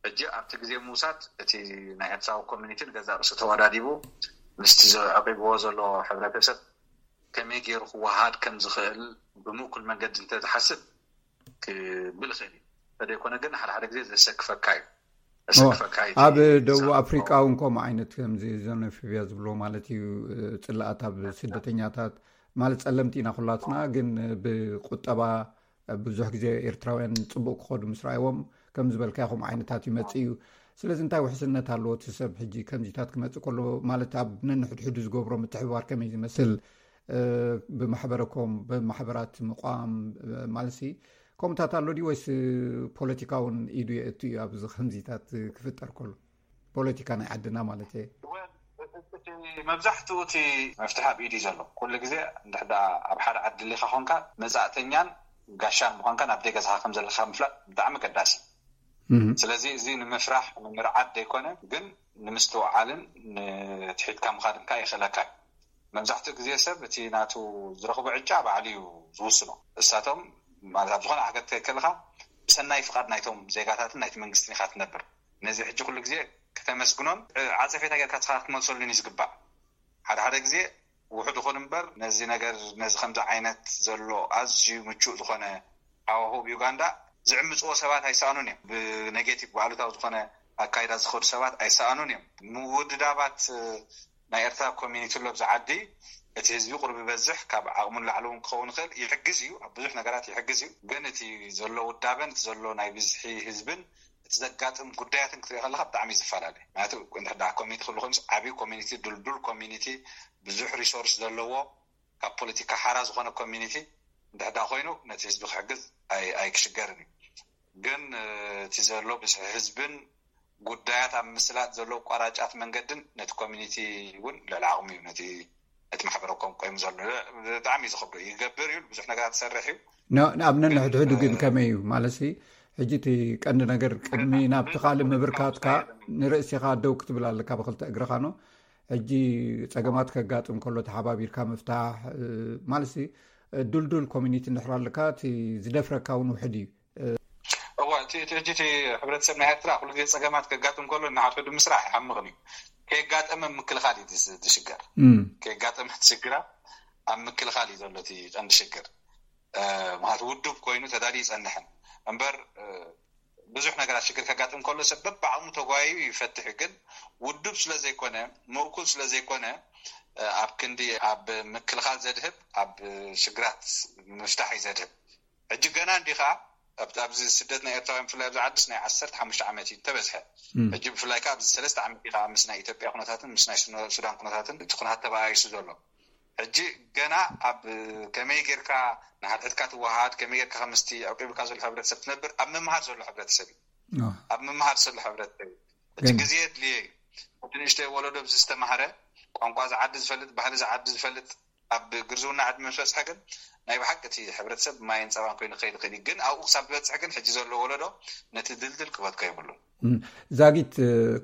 ሕጂ ኣብቲ ግዜ ምውሳድ እቲ ናይ ኤርትራዊ ኮሚኒቲ ንገዛእ ርእሱ ተወዳዲቡ ምስቲ ዘዕቂብዎ ዘሎ ሕብረተሰብ ከመይ ገይሩ ክወሃሃድ ከም ዝኽእል ብምእኩል መንገዲ እንተዝሓስብ ክብል ይኽእል እዩ። እንተደይኮነ ግን ሓደ ሓደ ግዜ ዘሰክፈካ እዩ። ዘሰክፈካ እዩ እቲ ኣብ ደቡብ ኣፍሪቃ እውን ከምኡ ዓይነት ከምዚ ዘኖፊብያ ዝብሎ ማለት እዩ። ፅላኣት ኣብ ስደተኛታት ማለት ፀለምቲ ኢና ኩላትና፣ ግን ብቁጠባ ብዙሕ ግዜ ኤርትራውያን ፅቡቅ ክኸዱ ምስ ረኣይዎም ከም ዝበልካዮ ከምኡ ዓይነታት ይመፅእ እዩ። ስለዚ እንታይ ውሕስነት ኣለዎ እቲ ሰብ ሕጂ ከምዚታት ክመፅእ ከሎ ማለት ኣብ ነንሕድሕዱ ዝገብሮ ምትሕብባር ከመይ ዝመስል ብማሕበረኮም ብማሕበራት ምቋም ማለት ከምኡታት ኣሎ ድዩ ወይስ ፖለቲካውን ኢዱ የእቱ እዩ ኣብዚ ከምዚታት ክፍጠር ከሎ? ፖለቲካ ናይ ዓድና ማለት እየ። መብዛሕትኡ እቲ መፍትሒ ኣብ ኢድ እዩ ዘሎ። ኩሉ ግዜ እንድሕዳ ኣብ ሓደ ዓዲ ሊካ ኮንካ መፃእተኛን ጋሻን ምኳንካ ናብ ደገ ዝካ ከም ዘለካ ምፍላጥ ብጣዕሚ ገዳሲ። ስለዚ እዚ ንምፍራሕ ንምርዓድ ዘይኮነ ግን ንምስትውዓልን ንትሒትካ ምኻድን ከዓ ይኽእለካ እዩ። መብዛሕትኡ ግዜ ሰብ እቲ ናቱ ዝረኽቦ ዕጫ ባዕሉ እዩ ዝውስኖ። እሳቶም ማለት ኣብ ዝኾነ ሃገር ትከድ ከለካ ብሰናይ ፍቓድ ናይቶም ዜጋታትን ናይቲ መንግስትን ኢካ ትነብር። ነዚ ሕጂ ኩሉ ግዜ ከተመስግኖን ዓፀፌታ ጌርካ ትካ ክትመልሰሉን እዩ ዝግባእ። ሓደ ሓደ ግዜ ውሑድ ይኹን እምበር ነዚ ነገር ነዚ ከምዚ ዓይነት ዘሎ ኣዝዩ ምቹእ ዝኾነ ሃዋህው ዩጋንዳ ዝዕምፅዎ ሰባት ኣይሰኣኑን እዮም። ብኔጌቲቭ ብኣሉታዊ ዝኾነ ኣካይዳ ዝኸዱ ሰባት ኣይሰኣኑን እዮም። ምውድዳባት ናይ ኤርትራ ኮሚኒቲ ኣሎ ኣብዚ ዓዲ። እቲ ህዝቢ ቁሩብ ይበዝሕ፣ ካብ ዓቕሙ ንላዕሊ እውን ክኸውን ይኽእል፣ ይሕግዝ እዩ፣ ኣብ ብዙሕ ነገራት ይሕግዝ እዩ። ግን እቲ ዘሎ ውዳበን እቲ ዘሎ ናይ ብዝሒ ህዝብን እቲ ዘጋጥም ጉዳያትን ክትሪኦ ከለካ ብጣዕሚ እዩ ዝፈላለ። ምክንያቱ እንድሕር ደኣ ኮሚኒቲ ክህሉ ኮይኑስ ዓብዪ ኮሚኒቲ፣ ድልዱል ኮሚኒቲ፣ ብዙሕ ሪሶርስ ዘለዎ፣ ካብ ፖለቲካ ሓራ ዝኾነ ኮሚኒቲ እንድሕር ደኣ ኮይኑ ነቲ ህዝቢ ክሕግዝ ኣይክሽገርን እዩ። ግን እቲ ዘሎ ብዝሒ ህዝብን ጉዳያት ኣብ ምስላጥ ዘሎ ኣቋራጫት መንገድን ነቲ ኮሚኒቲ እውን ልዕሊ ዓቕሙ እዩ ነቲ እቲ ማሕበረ ኮም ቆይሙ ዘሎ። ብጣዕሚ እዩ ዝኸብዶ ይገብር እዩ ብዙሕ ነገራት ዝሰርሕ እዩ። ኣብ ነንሕድሕዱ ግን ከመይ እዩ ማለት ሕጂ እቲ ቀንዲ ነገር ቅድሚ ናብቲ ካልእ ምብርካትካ ንርእሲኻ ደው ክትብል ኣለካ ብክልተ እግርኻ ኖ። ሕጂ ጸገማት ከጋጥም ከሎ ተሓባቢርካ ምፍታሕ ማለት ድልዱል ኮሚኒቲ እንድሕር ኣለካ እቲ ዝደፍረካ እውን ውሕድ እዩ። እዋ እቲ እቲ ሕጂ እቲ ሕብረተሰብ ናይ ኤርትራ ኩሉ ግዜ ጸገማት ከጋጥም ከሎ እናሓድሕዱ ምስራሕ ይሓምቕን እዩ። ከየጋጠመ ምክልኻል እዩ ዝስ- ዝሽገር። ከየጋጠመ እቲ ሽግራት ኣብ ምክልኻል እዩ ዘሎ እቲ ቀንዲ ሽግር። ምክንያቱ ውዱብ ኮይኑ ተዳልዩ ይጸንሕን እምበር ብዙሕ ነገራት ሽግር ከጋጥም ከሎ ሰብ በብዓቕሙ ተጓዩ ይፈትሕ እዩ። ግን ውዱብ ስለዘይኮነ ምእኩል ስለዘይኮነ ኣብ ክንዲ ኣብ ምክልኻል ዘድህብ ኣብ ሽግራት ምፍታሕ እዩ ዘድህብ። ሕጂ ገና እንዲኻ ኣብዚ ስደት ናይ ኤርትራውያን ብፍላይ ኣብዚ ዓድስ ናይ ዓሰርተ ሓሙሽተ ዓመት እዩ ተበዝሐ። ሕጂ ብፍላይ ከዓ ኣብዚ ሰለስተ ዓመት ኢኻ ምስ ናይ ኢትዮጵያ ኩነታትን ምስ ናይ ሱዳን ኩነታትን እቲ ኩነታት ተበኣይሱ ዘሎ። ሕጂ ገና ኣብ ከመይ ጌርካ ንሓድሕድካ ትወሃሃድ ከመይ ጌርካ ከምስቲ ዕቂብካ ዘሎ ሕብረተሰብ ትነብር ኣብ ምምሃር ዘሎ ሕብረተሰብ እዩ። ኣብ ምምሃር ዘሎ ሕብረተሰብ እዩ። እቲ ግዜ የድልየ እዩ። እቲ ንእሽተይ ወለዶ ብዚ ዝተማህረ ቋንቋ ዝዓዲ ዝፈልጥ ባህሊ ዝዓዲ ዝፈልጥ ኣብ ግርዝውና ዕድመ ምስ በፅሐ ግን ናይ ብሓቂ እቲ ሕብረተሰብ ማይን ፀባን ኮይኑ ክኸይድ ይኽእል እዩ። ግን ኣብኡ ክሳብ ዝበፅሕ ግን ሕጂ ዘሎ ወለዶ ነቲ ድልድል ክበትኮ የብሉን። ዛጊት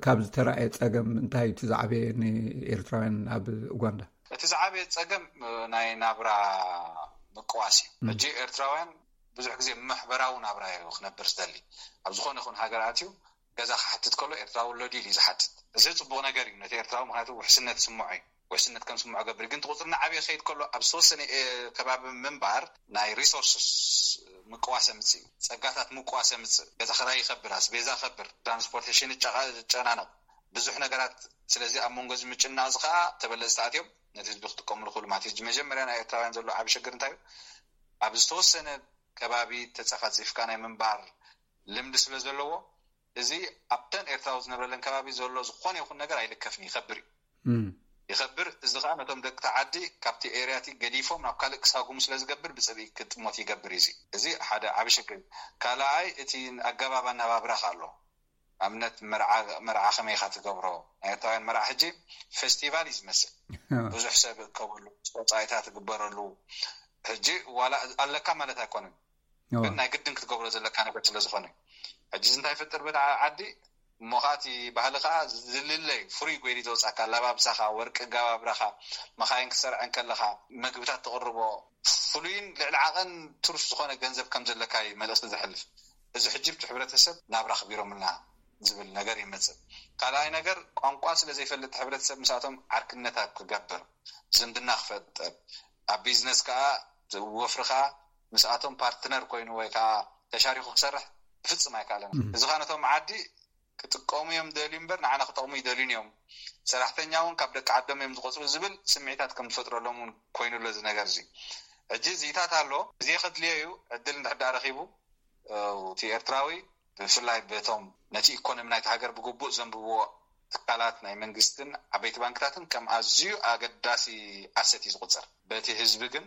ካብ ዝተረኣየ ፀገም እንታይ እቲ ዝዓበየ ንኤርትራውያን ኣብ ኡጋንዳ? እቲ ዝዓበየ ጸገም ናይ ናብራ ምቅዋስ እዩ። ሕጂ ኤርትራውያን ብዙሕ ግዜ ማሕበራዊ ናብራ እዩ ክነብር ዝደሊ። ኣብ ዝኾነ ይኹን ሃገር ኣትዩ ገዛ ክሓትት ከሎ ኤርትራዊ ኣሎ ድዩ ኢሉ ዝሓትት። እዚ ጽቡቕ ነገር እዩ ነቲ ኤርትራዊ፣ ምክንያቱ ውሕስነት ስምዖ እዩ። ውሕስነት ከም ስምዖ ገብር። ግን እቲ ቁጽሪ እናዓበየ ክኸይድ ከሎ ኣብ ዝተወሰነ ከባቢ ምንባር ናይ ሪሶርስስ ምቅዋስ የምጽእ እዩ። ጸጋታት ምቅዋስ የምጽእ። ገዛ ክራይ ይኸብር፣ ኣስቤዛ ይኸብር፣ ትራንስፖርቴሽን ይጨናነቕ፣ ብዙሕ ነገራት። ስለዚ ኣብ መንጎ እዚ ምጭናቕ እዚ ከዓ ተበለጽቲ ኣትዮም ነቲ ህዝቢ ክጥቀምሉ ክእሉ ማለት እዩ። መጀመርያ ናይ ኤርትራውያን ዘሎ ዓቢ ሽግር እንታይ እዩ? ኣብ ዝተወሰነ ከባቢ ተጸፋጺፍካ ናይ ምንባር ልምዲ ስለ ዘለዎ፣ እዚ ኣብተን ኤርትራዊ ዝነብረለን ከባቢ ዘሎ ዝኾነ ይኹን ነገር ኣይልከፍን፣ ይኸብር እዩ። ይኸብር። እዚ ከዓ ነቶም ደቂ ዓዲ ካብቲ ኤርያቲ ገዲፎም ናብ ካልእ ክሳጉሙ ስለ ዝገብር ብፅብኢ ክጥሞት ይገብር እዩ። እዚ ሓደ ዓቢ ሽግር እዩ። ካልኣይ እቲ ኣገባብ ኣነባብራ ኣሎ። ኣብነት መርዓ ከመይ ኢኻ ትገብሮ? ናይ ኤርትራውያን መርዓ ሕጂ ፌስቲቫል እዩ ዝመስል። ብዙሕ ሰብ እከበሉ፣ ወፃኢታት ትግበረሉ። ሕጂ ዋላ ኣለካ ማለት ኣይኮነን፣ ግን ናይ ግድን ክትገብሮ ዘለካ ነገር ስለ ዝኾነ። ሕጂ እንታይ ይፈጥር በዳ ዓዲ እሞ ከኣቲ ባህሊ ከዓ ዝልለይ ፍሩይ ጎይዲ ዘውፃካ፣ ኣላባብሳኻ፣ ወርቂ ኣገባብራኻ፣ መኻይን ክትሰርዐን ከለኻ፣ መግብታት ትቕርቦ፣ ፍሉይን ልዕሊ ዓቐን ትሩፍ ዝኾነ ገንዘብ ከም ዘለካ እዩ መልእኽቲ ዘሕልፍ። እዚ ሕጂ ብቲ ሕብረተሰብ ናብ ራኽቢሮምልና ዝብል ነገር ይመፅእ። ካልኣይ ነገር ቋንቋ ስለ ዘይፈልጥ ሕብረተሰብ ምስኣቶም ዓርክነታት ክገብር፣ ዝምድና ክፈጥር፣ ኣብ ቢዝነስ ከዓ ወፍሪ ከዓ ምስኣቶም ፓርትነር ኮይኑ ወይ ከዓ ተሻሪኹ ክሰርሕ ብፍፅም ኣይከኣለን። እዚ ከዓ ነቶም ዓዲ ክጥቀሙ እዮም ደልዩ እምበር ንዓና ክጠቕሙ ይደልዩን እዮም። ሰራሕተኛ እውን ካብ ደቂ ዓዶም እዮም ዝቆፅሩ ዝብል ስምዒታት ከም ዝፈጥረሎም እውን ኮይኑ ኣሎ እዚ ነገር እዚ። ሕጂ እዚታት ኣሎ። ግዜ ከድልዮ እዩ። ዕድል እንድሕር ደኣ ረኺቡ እቲ ኤርትራዊ ብፍላይ በቶም ነቲ ኢኮኖሚ ናይቲ ሃገር ብግቡእ ዘንብብዎ ትካላት ናይ መንግስትን ዓበይቲ ባንክታትን ከም ኣዝዩ ኣገዳሲ ኣሰት እዩ ዝቁፅር። በቲ ህዝቢ ግን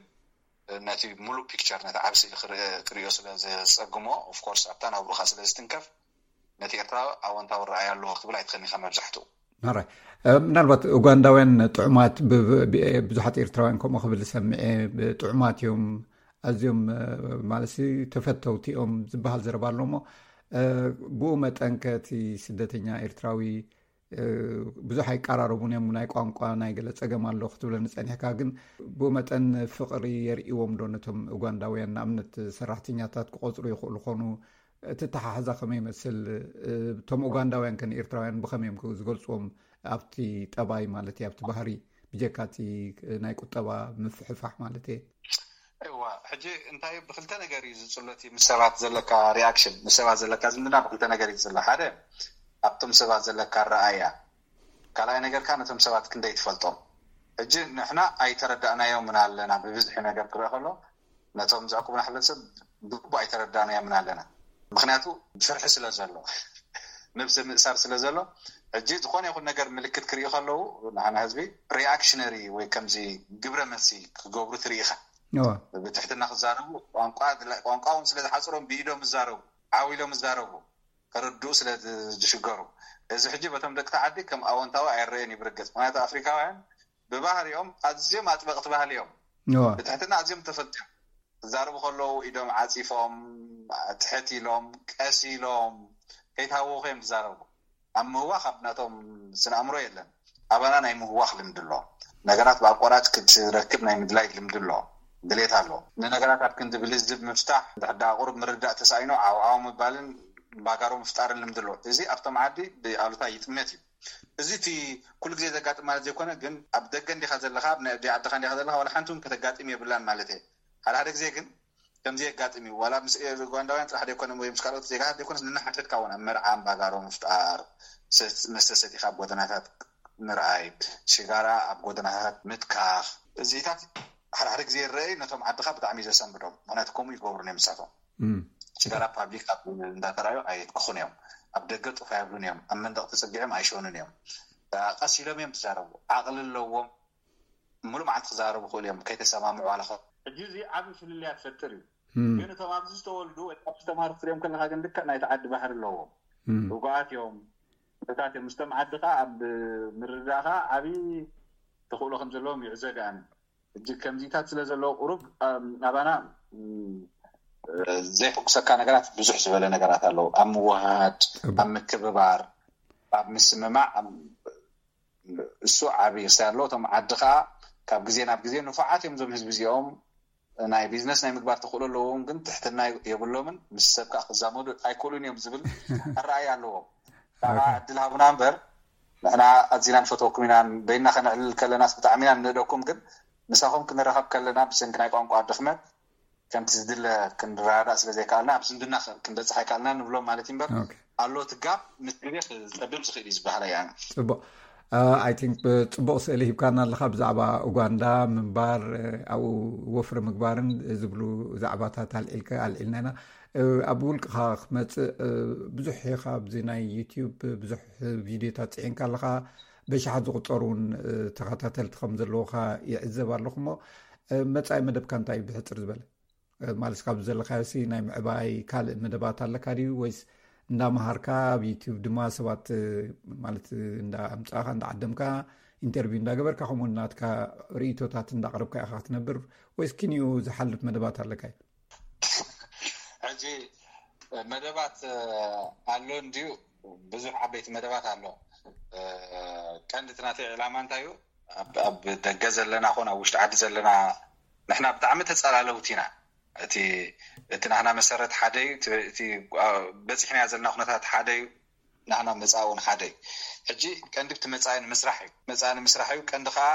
ነቲ ሙሉእ ፒክቸር፣ ነቲ ዓብ ስእሊ ክርእ- ክርእዮ ስለ ዘጸግሞ፣ ኦፍኮርስ ኣብታ ናብሩኻ ስለ ዝትንከፍ ነቲ ኤርትራ ኣወንታዊ ረኣይ ኣለዎ ክትብል ኣይትኽእልኒ ኢኻ መብዛሕትኡ። ኣራይ ምናልባት ኡጋንዳውያን ጥዑማት ብዙሓት ኤርትራውያን ከምኡ ክብል ሰምዐ። ጥዑማት እዮም ኣዝዮም ማለት ተፈተውቲ እዮም ዝበሃል ዘረባ ኣሎ እሞ ብኡ መጠን ከ እቲ ስደተኛ ኤርትራዊ ብዙሕ ኣይቀራረቡን እዮም። ናይ ቋንቋ ናይ ገለ ጸገም ኣሎ ክትብለኒ ጸኒሕካ፣ ግን ብኡ መጠን ፍቕሪ የርእዎም ዶ ነቶም ኡጋንዳውያን? ንኣብነት ሰራሕተኛታት ክቆጽሩ ይኽእሉ ኾኑ። እቲ ተሓሕዛ ከመይ ይመስል? እቶም ኡጋንዳውያን ከ ንኤርትራውያን ብኸመይ እዮም ዝገልጽዎም? ኣብቲ ጠባይ ማለት እዩ፣ ኣብቲ ባህሪ፣ ብጀካ እቲ ናይ ቁጠባ ምፍሕፋሕ ማለት እየ። እዋ ሕጂ እንታይ ብክልተ ነገር እዩ ዝፅሎ እቲ ምስ ሰባት ዘለካ ሪኣክሽን፣ ምስ ሰባት ዘለካ ዝምድና ብክልተ ነገር እዩ ዝፅሎ። ሓደ ኣብቶም ሰባት ዘለካ ረኣያ፣ ካልኣይ ነገርካ ነቶም ሰባት ክንደይ ትፈልጦም። ሕጂ ንሕና ኣይተረዳእናዮምን ኣለና። ብብዝሒ ነገር ክረአ ከሎ ነቶም ዘዕቁቡና ሕብረተሰብ ብግቡእ ኣይተረዳእናዮምን ኣለና። ምክንያቱ ፍርሒ ስለ ዘሎ፣ ነብሲ ምእሳር ስለ ዘሎ፣ ሕጂ ዝኾነ ይኹን ነገር ምልክት ክርኢ ከለዉ ንሓና ህዝቢ ሪኣክሽነሪ ወይ ከምዚ ግብረ መልሲ ክገብሩ ትርኢ ኢኻ። ብትሕትና ክዛረቡ፣ ቋንቋ እውን ስለ ዝሓፅሮም ብኢዶም ዝዛረቡ፣ ዓው ኢሎም ዝዛረቡ፣ ከረድኡ ስለ ዝሽገሩ፣ እዚ ሕጂ በቶም ደቂ ዓዲ ከም ኣወንታዊ ኣይረየን እዩ ብርግፅ። ምክንያቱ ኣፍሪካውያን ብባህሪኦም ኣዝዮም ኣጥበቕቲ ባህሊ እዮም። ብትሕትና ኣዝዮም ተፈልጢ እዮም። ክዛረቡ ከለዉ ኢዶም ዓፂፎም፣ ትሕት ኢሎም፣ ቀስ ኢሎም፣ ከይተሃወኹ እዮም ዝዛረቡ። ኣብ ምህዋኽ ኣብ ናቶም ስነ ኣእምሮ የለን። ኣባና ናይ ምህዋኽ ልምዲ ኣሎ። ነገራት ብኣቋራጭ ክትረክብ ናይ ምድላይ ልምዲ ኣሎ፣ ድሌት ኣሎ። ንነገራት ኣብ ክንዲ ብልዝብ ምፍታሕ፣ እንድሕር ደኣ ቁሩብ ምርዳእ ተሳኢኑ ዓውዓው ምባልን ባጋሮ ምፍጣርን ልምዲ ኣሎ። እዚ ኣብቶም ዓዲ ብኣሉታ ይጥመት እዩ። እዚ እቲ ኩሉ ግዜ ዘጋጥም ማለት ዘይኮነ፣ ግን ኣብ ደገ እንዲኻ ዘለኻ፣ ኣብ ናይ ዓድኻ እንዲኻ ዘለኻ፣ ዋላ ሓንቲ እውን ከተጋጥም የብላን ማለት እየ። ሓደ ሓደ ግዜ ግን ከምዚ የጋጥም እዩ። ዋላ ምስ ኡጋንዳውያን ጥራሕ ዘይኮነ ወይ ምስ ካልኦት ዜጋታት ዘይኮነስ፣ ንናሓተትካ እውን ኣብ መርዓ ኣምባጋሮ ምፍጣር፣ መስተ ሰቲኻ ኣብ ጎደናታት ምርኣይ፣ ሽጋራ ኣብ ጎደናታት ምትካኽ፣ እዚታት ሓደ ሓደ ግዜ ይረኣይ፣ ነቶም ዓድኻ ብጣዕሚ እዩ ዘሰንብዶም። ምክንያቱ ከምኡ ይገብሩን እዮም ንሳቶም። ሽጋራ ፓብሊክ ኣብ እንዳተራዩ ኣየትክኹን እዮም። ኣብ ደገ ጡፍ ኣይብሉን እዮም። ኣብ መንደቕ ተጸጊዖም ኣይሸኑን እዮም። ቀስ ኢሎም እዮም ትዛረቡ። ዓቕሊ ኣለዎም። ሙሉእ መዓልቲ ክዛረቡ ክእሉ እዮም ከይተሰማምዑ ዋላ ከ- ሕጂ እዚ ዓቢ ፍልልያት ፈጥር እዩ። ግን እቶም ኣብዚ ዝተወልዱ ወይ ኣብ ዝተማሩ ክትሪኦም ከለካ ግን ልክዕ ናይቲ ዓዲ ባህሪ ኣለዎም። ርጉኣት እዮም። እታት እዮም ምስቶም ዓዲ ከዓ ኣብ ምርዳእካ ዓቢ ተኽእሎ ከም ዘለዎም ይዕዘ ደኣኒ። ሕጂ ከምዚታት ስለ ዘለዎ ቁሩብ ኣባና ዘይፈኩሰካ ነገራት ብዙሕ ዝበለ ነገራት ኣለዉ። ኣብ ምውሃድ፣ ኣብ ምክብባር፣ ኣብ ምስምማዕ እሱ ዓቢ ርሳ ኣለዎ። እቶም ዓዲ ከዓ ካብ ግዜ ናብ ግዜ ንፉዓት እዮም እዞም ህዝቢ እዚኦም። ናይ ቢዝነስ ናይ ምግባር ተኽእሎ ኣለዎም፣ ግን ትሕትና የብሎምን፣ ምስ ሰብ ከዓ ክዛመዱ ኣይክእሉን እዮም ዝብል ኣረኣእያ ኣለዎም። ካዓ ዕድል ሃቡና እምበር፣ ንሕና ኣዚና ንፈትወኩም ኢና፣ በይና ከነዕልል ከለናስ ብጣዕሚ ኢና ንንእደኩም፣ ግን ምሳኹም ክንራኸብ ከለና ብሰንኪ ናይ ቋንቋ ድኽመት ከምቲ ዝድለ ክንረዳዳእ ስለ ዘይከኣልና፣ ኣብ ዝምድና ክንበፅሕ ኣይከኣልና ንብሎም ማለት እዩ እምበር፣ ኣሎ እቲ ጋፕ ምስ ግዜ ክፀብብ ዝኽእል እዩ ዝበሃል እያ። ፅቡቅ። ኣይ ቲንክ ብፅቡቅ ስእሊ ሂብካና ኣለካ ብዛዕባ ኡጋንዳ ምንባር፣ ኣብኡ ወፍሪ ምግባርን ዝብሉ ዛዕባታት ኣልዒልካ ኣልዒልና ኢና። ኣብ ውልቅኻ ክመፅእ፣ ብዙሕ ኢኻ ኣብዚ ናይ ዩቲዩብ ብዙሕ ቪድዮታት ፅዒንካ ኣለኻ። በሽሓት ዝቁፀሩ እውን ተኸታተልቲ ከም ዘለውካ ይዕዘብ ኣለኹ። እሞ መፃኢ መደብካ እንታይ እዩ? ብሕፅር ዝበለ ማለት ካብ ዘለካዮሲ ናይ ምዕባይ ካልእ መደባት ኣለካ ድዩ? ወይስ እንዳመሃርካ ኣብ ዩቲዩብ ድማ ሰባት ማለት እንዳ ኣምፃእካ እንዳ ዓደምካ ኢንተርቪው እንዳገበርካ ከምኡ ናትካ ርእቶታት እንዳቅረብካ ኢካ ክትነብር ወይስ ክንዩ ዝሓልፍ መደባት ኣለካ እዩ? ሕጂ መደባት ኣሎ እንድዩ፣ ብዙሕ ዓበይቲ መደባት ኣሎ። ቀንዲ እቲ ናተይ ዕላማ እንታይ እዩ? ኣብ ደገ ዘለና ኮን ኣብ ውሽጢ ዓዲ ዘለና ንሕና ብጣዕሚ ተፀላለውቲ ኢና። እቲ እቲ ናህና መሰረት ሓደ እዩ። እቲ በፂሕናዮ ዘለና ኩነታት ሓደ እዩ። ናህና መፃእ እውን ሓደ እዩ። ሕጂ ቀንዲ እቲ መፃኢ ንምስራሕ እዩ። መፃኢ ንምስራሕ እዩ። ቀንዲ ከዓ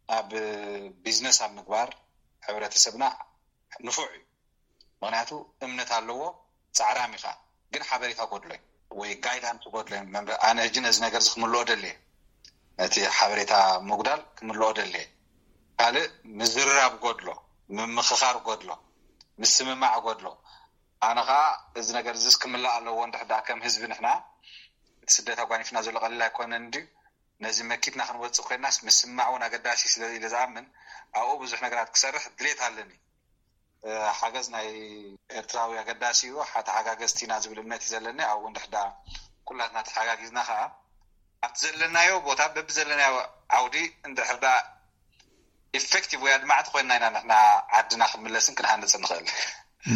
ኣብ ቢዝነስ ኣብ ምግባር ሕብረተሰብና ንፉዕ እዩ። ምክንያቱ እምነት ኣለዎ፣ ፃዕራም ኢኻ፣ ግን ሓበሬታ ጎድሎ እዩ ወይ ጋይዳንስ ጎድሎ እዩ። መምበ- ኣነ ሕጂ ነዚ ነገር እዚ ክምልኦ ደልየ፣ ነቲ ሓበሬታ ምጉዳል ክምልኦ ደልየ። ካልእ ምዝርራብ ጎድሎ፣ ምምኽኻር ጎድሎ፣ ምስምማዕ ጎድሎ። ኣነ ከዓ እዚ ነገር እዚስ ክምላእ ኣለዎ። እንድሕር ደኣ ከም ህዝቢ ንሕና እቲ ስደት ኣጓኒፍና ዘሎ ቀሊል ኣይኮነን እንድዩ። ነዚ መኪትና ክንወፅእ ኮይናስ ምስማዕ እውን ኣገዳሲ ስለ ኢለ ዝኣምን ኣብኡ ብዙሕ ነገራት ክሰርሕ ድሌት ኣለኒ። ሓገዝ ናይ ኤርትራዊ ኣገዳሲ እዩ። ሓተሓጋገዝቲ ኢና ዝብል እምነት እዩ ዘለኒ። ኣብኡ እንድሕር ደኣ ኩላትና ተሓጋጊዝና ከዓ ኣብቲ ዘለናዮ ቦታ በቢ ዘለናዮ ዓውዲ እንድሕር ደኣ ኢፌክቲቭ ወይ ኣድማዕቲ ኮይንና ኢና ንሕና ዓድና ክንምለስን ክንሃንፅን ንኽእል።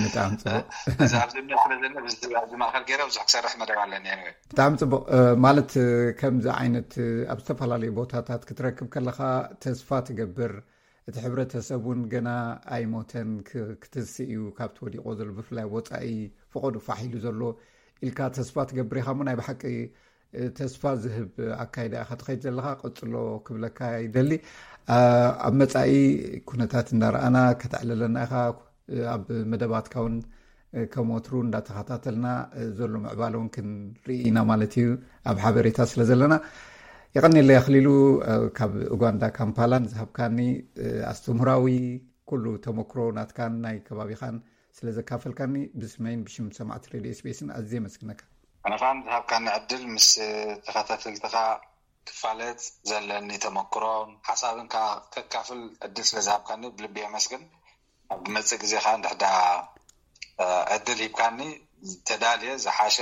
ብጣዕሚ ፅቡቅ። እዚ ኣብዚ እምነት ስለ ዘለኒ ኣብዚ ማእከል ገይረ ብዙሕ ክሰርሕ መደብ ኣለኒ። Anyway። ብጣዕሚ ፅቡቅ። ማለት ከምዚ ዓይነት ኣብ ዝተፈላለዩ ቦታታት ክትረክብ ከለካ ተስፋ ትገብር። እቲ ሕብረተሰብ እውን ገና ኣይሞተን፣ ክትንስእ እዩ ካብቲ ወዲቆ ዘሎ፣ ብፍላይ ወፃኢ ፈቆዱ ፋሕ ኢሉ ዘሎ ኢልካ ተስፋ ትገብር ኢካ። እሞ ናይ ብሓቂ ተስፋ ዝህብ ኣካይዳ ኢካ ትኸይድ ዘለካ፣ ቀፅሎ ክብለካ ይደሊ። ኣብ መፃኢ ኩነታት እንዳረኣና ከተዕልለና ኢካ። ኣብ መደባትካ እውን ከም ወትሩ እንዳተኸታተልና ዘሎ ምዕባለ እውን ክንርኢ ኢና ማለት እዩ፣ ኣብ ሓበሬታ ስለ ዘለና። የቐኒለይ ኣኽሊሉ፣ ካብ ኡጋንዳ ካምፓላ ንዝሃብካኒ ኣስተምህራዊ ኩሉ ተመክሮ ናትካን ናይ ከባቢኻን ስለ ዘካፈልካኒ ብስመይን ብሽም ሰማዕቲ ሬድዮ ኤስቢኤስን ኣዝየ የመስግነካ። ኣነ ከዓ ንዝሃብካኒ ዕድል ምስ ተኸታተልትኻ ክፋለጥ ዘለኒ ተመክሮን ሓሳብን ከዓ ከካፍል ዕድል ስለ ዝሃብካኒ ብልቢ የመስግን። ኣብ ዝመፅእ ግዜ ከዓ እንድሕዳ ዕድል ሂብካኒ ተዳልየ ዝሓሸ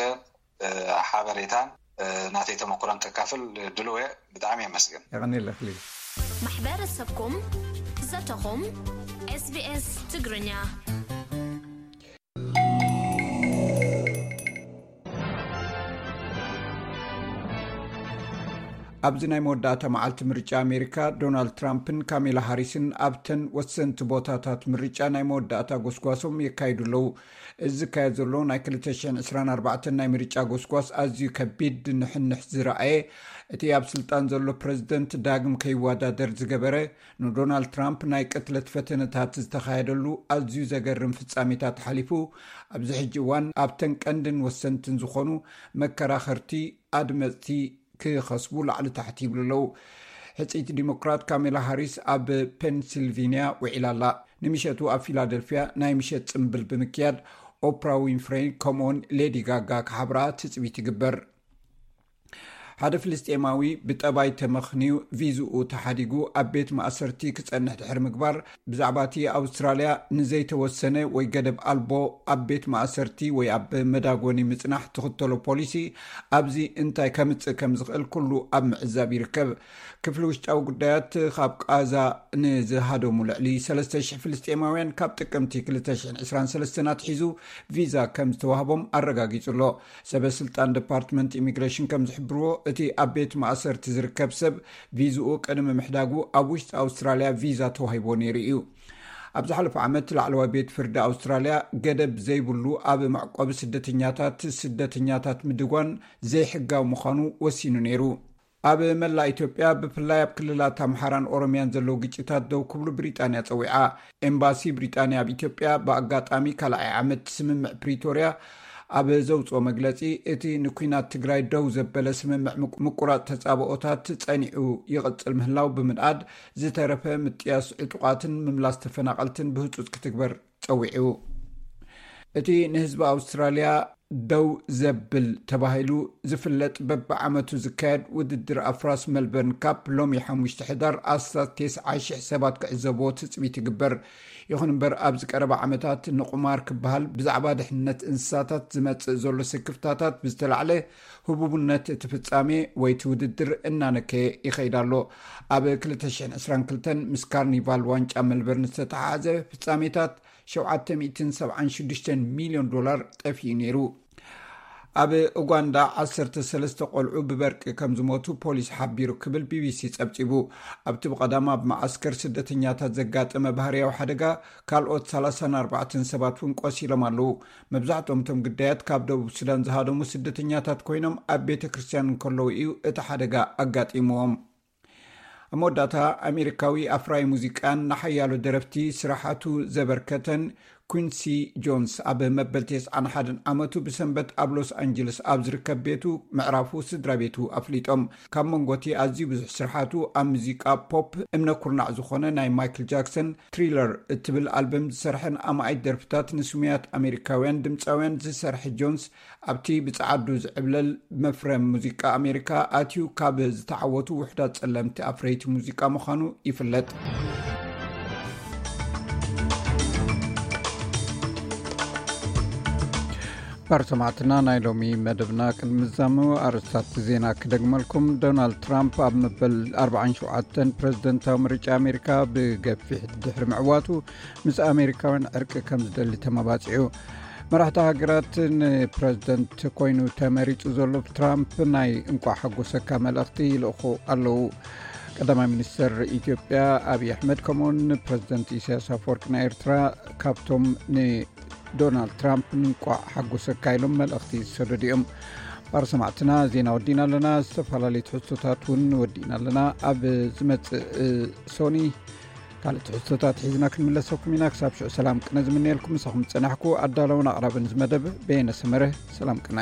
ሓበሬታን ናተይ ተመክሮን ከካፍል ድልወ። ብጣዕሚ የመስግን። የቐኒለ ክሊ። ማሕበረሰብኩም ዘተኹም ኤስቢኤስ ትግርኛ። ኣብዚ ናይ መወዳእታ መዓልቲ ምርጫ ኣሜሪካ፣ ዶናልድ ትራምፕን ካሜላ ሃሪስን ኣብተን ወሰንቲ ቦታታት ምርጫ ናይ መወዳእታ ጎስጓሶም የካይዱ ኣለዉ። እዚ ዝካየድ ዘሎ ናይ ክልተ ሽሕን ዕስራን ኣርባዕተን ናይ ምርጫ ጎስጓስ ኣዝዩ ከቢድ ንሕንሕ ዝረኣየ፣ እቲ ኣብ ስልጣን ዘሎ ፕረዚደንት ዳግም ከይወዳደር ዝገበረ፣ ንዶናልድ ትራምፕ ናይ ቅትለት ፈተነታት ዝተኻየደሉ ኣዝዩ ዘገርም ፍጻሜታት ሓሊፉ፣ ኣብዚ ሕጂ እዋን ኣብተን ቀንድን ወሰንትን ዝኾኑ መከራኸርቲ ኣድመፅቲ ክኸስቡ ላዕሊ ታሕቲ ይብሉ ኣለዉ። ሕፅይቲ ዲሞክራት ካሜላ ሃሪስ ኣብ ፔንሲልቪንያ ውዒላ ኣላ። ንምሸቱ ኣብ ፊላደልፊያ ናይ ምሸት ጽምብል ብምክያድ ኦፕራ ዊንፍሬይ ከምኡውን ሌዲ ጋጋ ክሓብራ ትጽቢት ይግበር። ሓደ ፍልስጤማዊ ብጠባይ ተመኽንዩ ቪዝኡ ተሓዲጉ ኣብ ቤት ማእሰርቲ ክጸንሕ ድሕሪ ምግባር፣ ብዛዕባ እቲ ኣውስትራልያ ንዘይተወሰነ ወይ ገደብ ኣልቦ ኣብ ቤት ማእሰርቲ ወይ ኣብ መዳጎኒ ምጽናሕ ትኽተሎ ፖሊሲ ኣብዚ እንታይ ከምጽእ ከም ዝኽእል ኩሉ ኣብ ምዕዛብ ይርከብ። ክፍሊ ውሽጣዊ ጉዳያት ካብ ቃዛ ንዝሃደሙ ልዕሊ ሰለስተ ሽሕ ፍልስጤማውያን ካብ ጥቅምቲ ክልተ ሽሕን ዕስራን ሰለስተን ኣትሒዙ ቪዛ ከም ዝተዋህቦም ኣረጋጊጹ ኣሎ። ሰበ ስልጣን ዲፓርትመንት ኢሚግሬሽን ከም ዝሕብርዎ፣ እቲ ኣብ ቤት ማእሰርቲ ዝርከብ ሰብ ቪዝኡ ቅድሚ ምሕዳጉ ኣብ ውሽጢ ኣውስትራልያ ቪዛ ተዋሂቦ ነይሩ እዩ። ኣብ ዝሓለፈ ዓመት ላዕለዋይ ቤት ፍርዲ ኣውስትራልያ ገደብ ዘይብሉ ኣብ መዕቆቢ ስደተኛታት ስደተኛታት ምድጓን ዘይሕጋዊ ምዃኑ ወሲኑ ነይሩ። ኣብ መላእ ኢትዮጵያ ብፍላይ ኣብ ክልላት ኣምሓራን ኦሮሚያን ዘለዉ ግጭታት ደው ክብሉ ብሪጣንያ ጸዊዓ። ኤምባሲ ብሪጣንያ ኣብ ኢትዮጵያ ብኣጋጣሚ ካልኣይ ዓመት ስምምዕ ፕሪቶርያ ኣብ ዘውፅኦ መግለፂ፣ እቲ ንኲናት ትግራይ ደው ዘበለ ስምምዕ ምቁራፅ ተፃብኦታት ፀኒዑ ይቕፅል ምህላው ብምንኣድ፣ ዝተረፈ ምጥያስ ዕጡቓትን ምምላስ ተፈናቐልትን ብህፁፅ ክትግበር ፀዊዑ። እቲ ንህዝቢ ኣውስትራልያ ደው ዘብል ተባሂሉ ዝፍለጥ በብዓመቱ ዝካየድ ውድድር ኣፍራስ ሜልበርን ካፕ ሎሚ ሓሙሽተ ሕዳር ኣስታት ተስዓ ሽሕ ሰባት ክዕዘብዎ ትፅቢት ይግበር። ይኹን እምበር ኣብዚ ቀረባ ዓመታት ንቁማር ክበሃል ብዛዕባ ድሕነት እንስሳታት ዝመፅእ ዘሎ ስክፍታታት ብዝተላዕለ ህቡብነት እቲ ፍጻሜ ወይ እቲ ውድድር እናነከየ ይኸይድ ኣሎ። ኣብ ክልተ ሽሕን ዕስራን ክልተን ምስ ካርኒቫል ዋንጫ ሜልበርን ዝተተሓሓዘ ፍጻሜታት ሸውዓተ ሚእትን ሰብዓን ሽዱሽተን ሚልዮን ዶላር ጠፊኡ ነይሩ። ኣብ ኡጋንዳ ዓሰርተ ሰለስተ ቆልዑ ብበርቂ ከም ዝሞቱ ፖሊስ ሓቢሩ ክብል ቢቢሲ ጸብጺቡ። ኣብቲ ብቐዳም ኣብ መዓስከር ስደተኛታት ዘጋጠመ ባህርያዊ ሓደጋ ካልኦት ሰላሳን ኣርባዕተን ሰባት እውን ቆሲሎም ኣለዉ። መብዛሕትኦም እቶም ግዳያት ካብ ደቡብ ሱዳን ዝሃደሙ ስደተኛታት ኮይኖም ኣብ ቤተ ክርስቲያን እንከለዉ እዩ እቲ ሓደጋ ኣጋጢምዎም። ኣብ መወዳእታ ኣሜሪካዊ ኣፍራይ ሙዚቃን ንሓያሎ ደረፍቲ ስራሓቱ ዘበርከተን ኩንሲ ጆንስ ኣብ መበል ተስዓን ሓደን ዓመቱ ብሰንበት ኣብ ሎስ ኣንጀለስ ኣብ ዝርከብ ቤቱ ምዕራፉ ስድራ ቤቱ ኣፍሊጦም። ካብ መንጎቲ ኣዝዩ ብዙሕ ስርሓቱ ኣብ ሙዚቃ ፖፕ እምነ ኩርናዕ ዝኾነ ናይ ማይክል ጃክሰን ትሪለር እትብል ኣልበም ዝሰርሐን ኣማኢት ደርፍታት ንስሙያት ኣሜሪካውያን ድምፃውያን ዝሰርሐ ጆንስ ኣብቲ ብጸዓዱ ዝዕብለል መፍረ ሙዚቃ ኣሜሪካ ኣትዩ ካብ ዝተዓወቱ ውሑዳት ጸለምቲ ኣፍረይቲ ሙዚቃ ምዃኑ ይፍለጥ። ባር ሰማዕትና ናይ ሎሚ መደብና ቅድሚ ምዛሙ ኣርእስታት ዜና ክደግመልኩም። ዶናልድ ትራምፕ ኣብ መበል ኣርባዓን ሸውዓተን ፕሬዝደንታዊ ምርጫ ኣሜሪካ ብገፊሕ ድሕሪ ምዕዋቱ ምስ ኣሜሪካውያን ዕርቂ ከም ዝደሊ ተመባጺዑ። መራሕቲ ሃገራት ንፕሬዝደንት ኮይኑ ተመሪጹ ዘሎ ትራምፕ ናይ እንቋዕ ሓጎሰካ መልእኽቲ ይልእኹ ኣለዉ። ቀዳማይ ሚኒስትር ኢትዮጵያ ኣብይ ኣሕመድ ከምኡውን ፕሬዝደንት ኢሳያስ ኣፈወርቂ ናይ ኤርትራ ካብቶም ንዶናልድ ትራምፕ ንእንቋዕ ሓጎሰካ ኢሎም መልእኽቲ ዝሰደዱ እዮም። ባር ሰማዕትና ዜና ወዲና ኣለና። ዝተፈላለዩ ትሕዝቶታት እውን ወዲና ኣለና። ኣብ ዝመጽእ ሶኒ ካልእ ትሕዝቶታት ሒዝና ክንምለሰኩም ኢና። ክሳብ ሽዑ ሰላም ቅነ ዝምነየልኩም ምሳኹም ዝጸናሕኩ ኣዳለውን ኣቕራብን ዝመደብ በየነ ሰመረ። ሰላም ቅነ።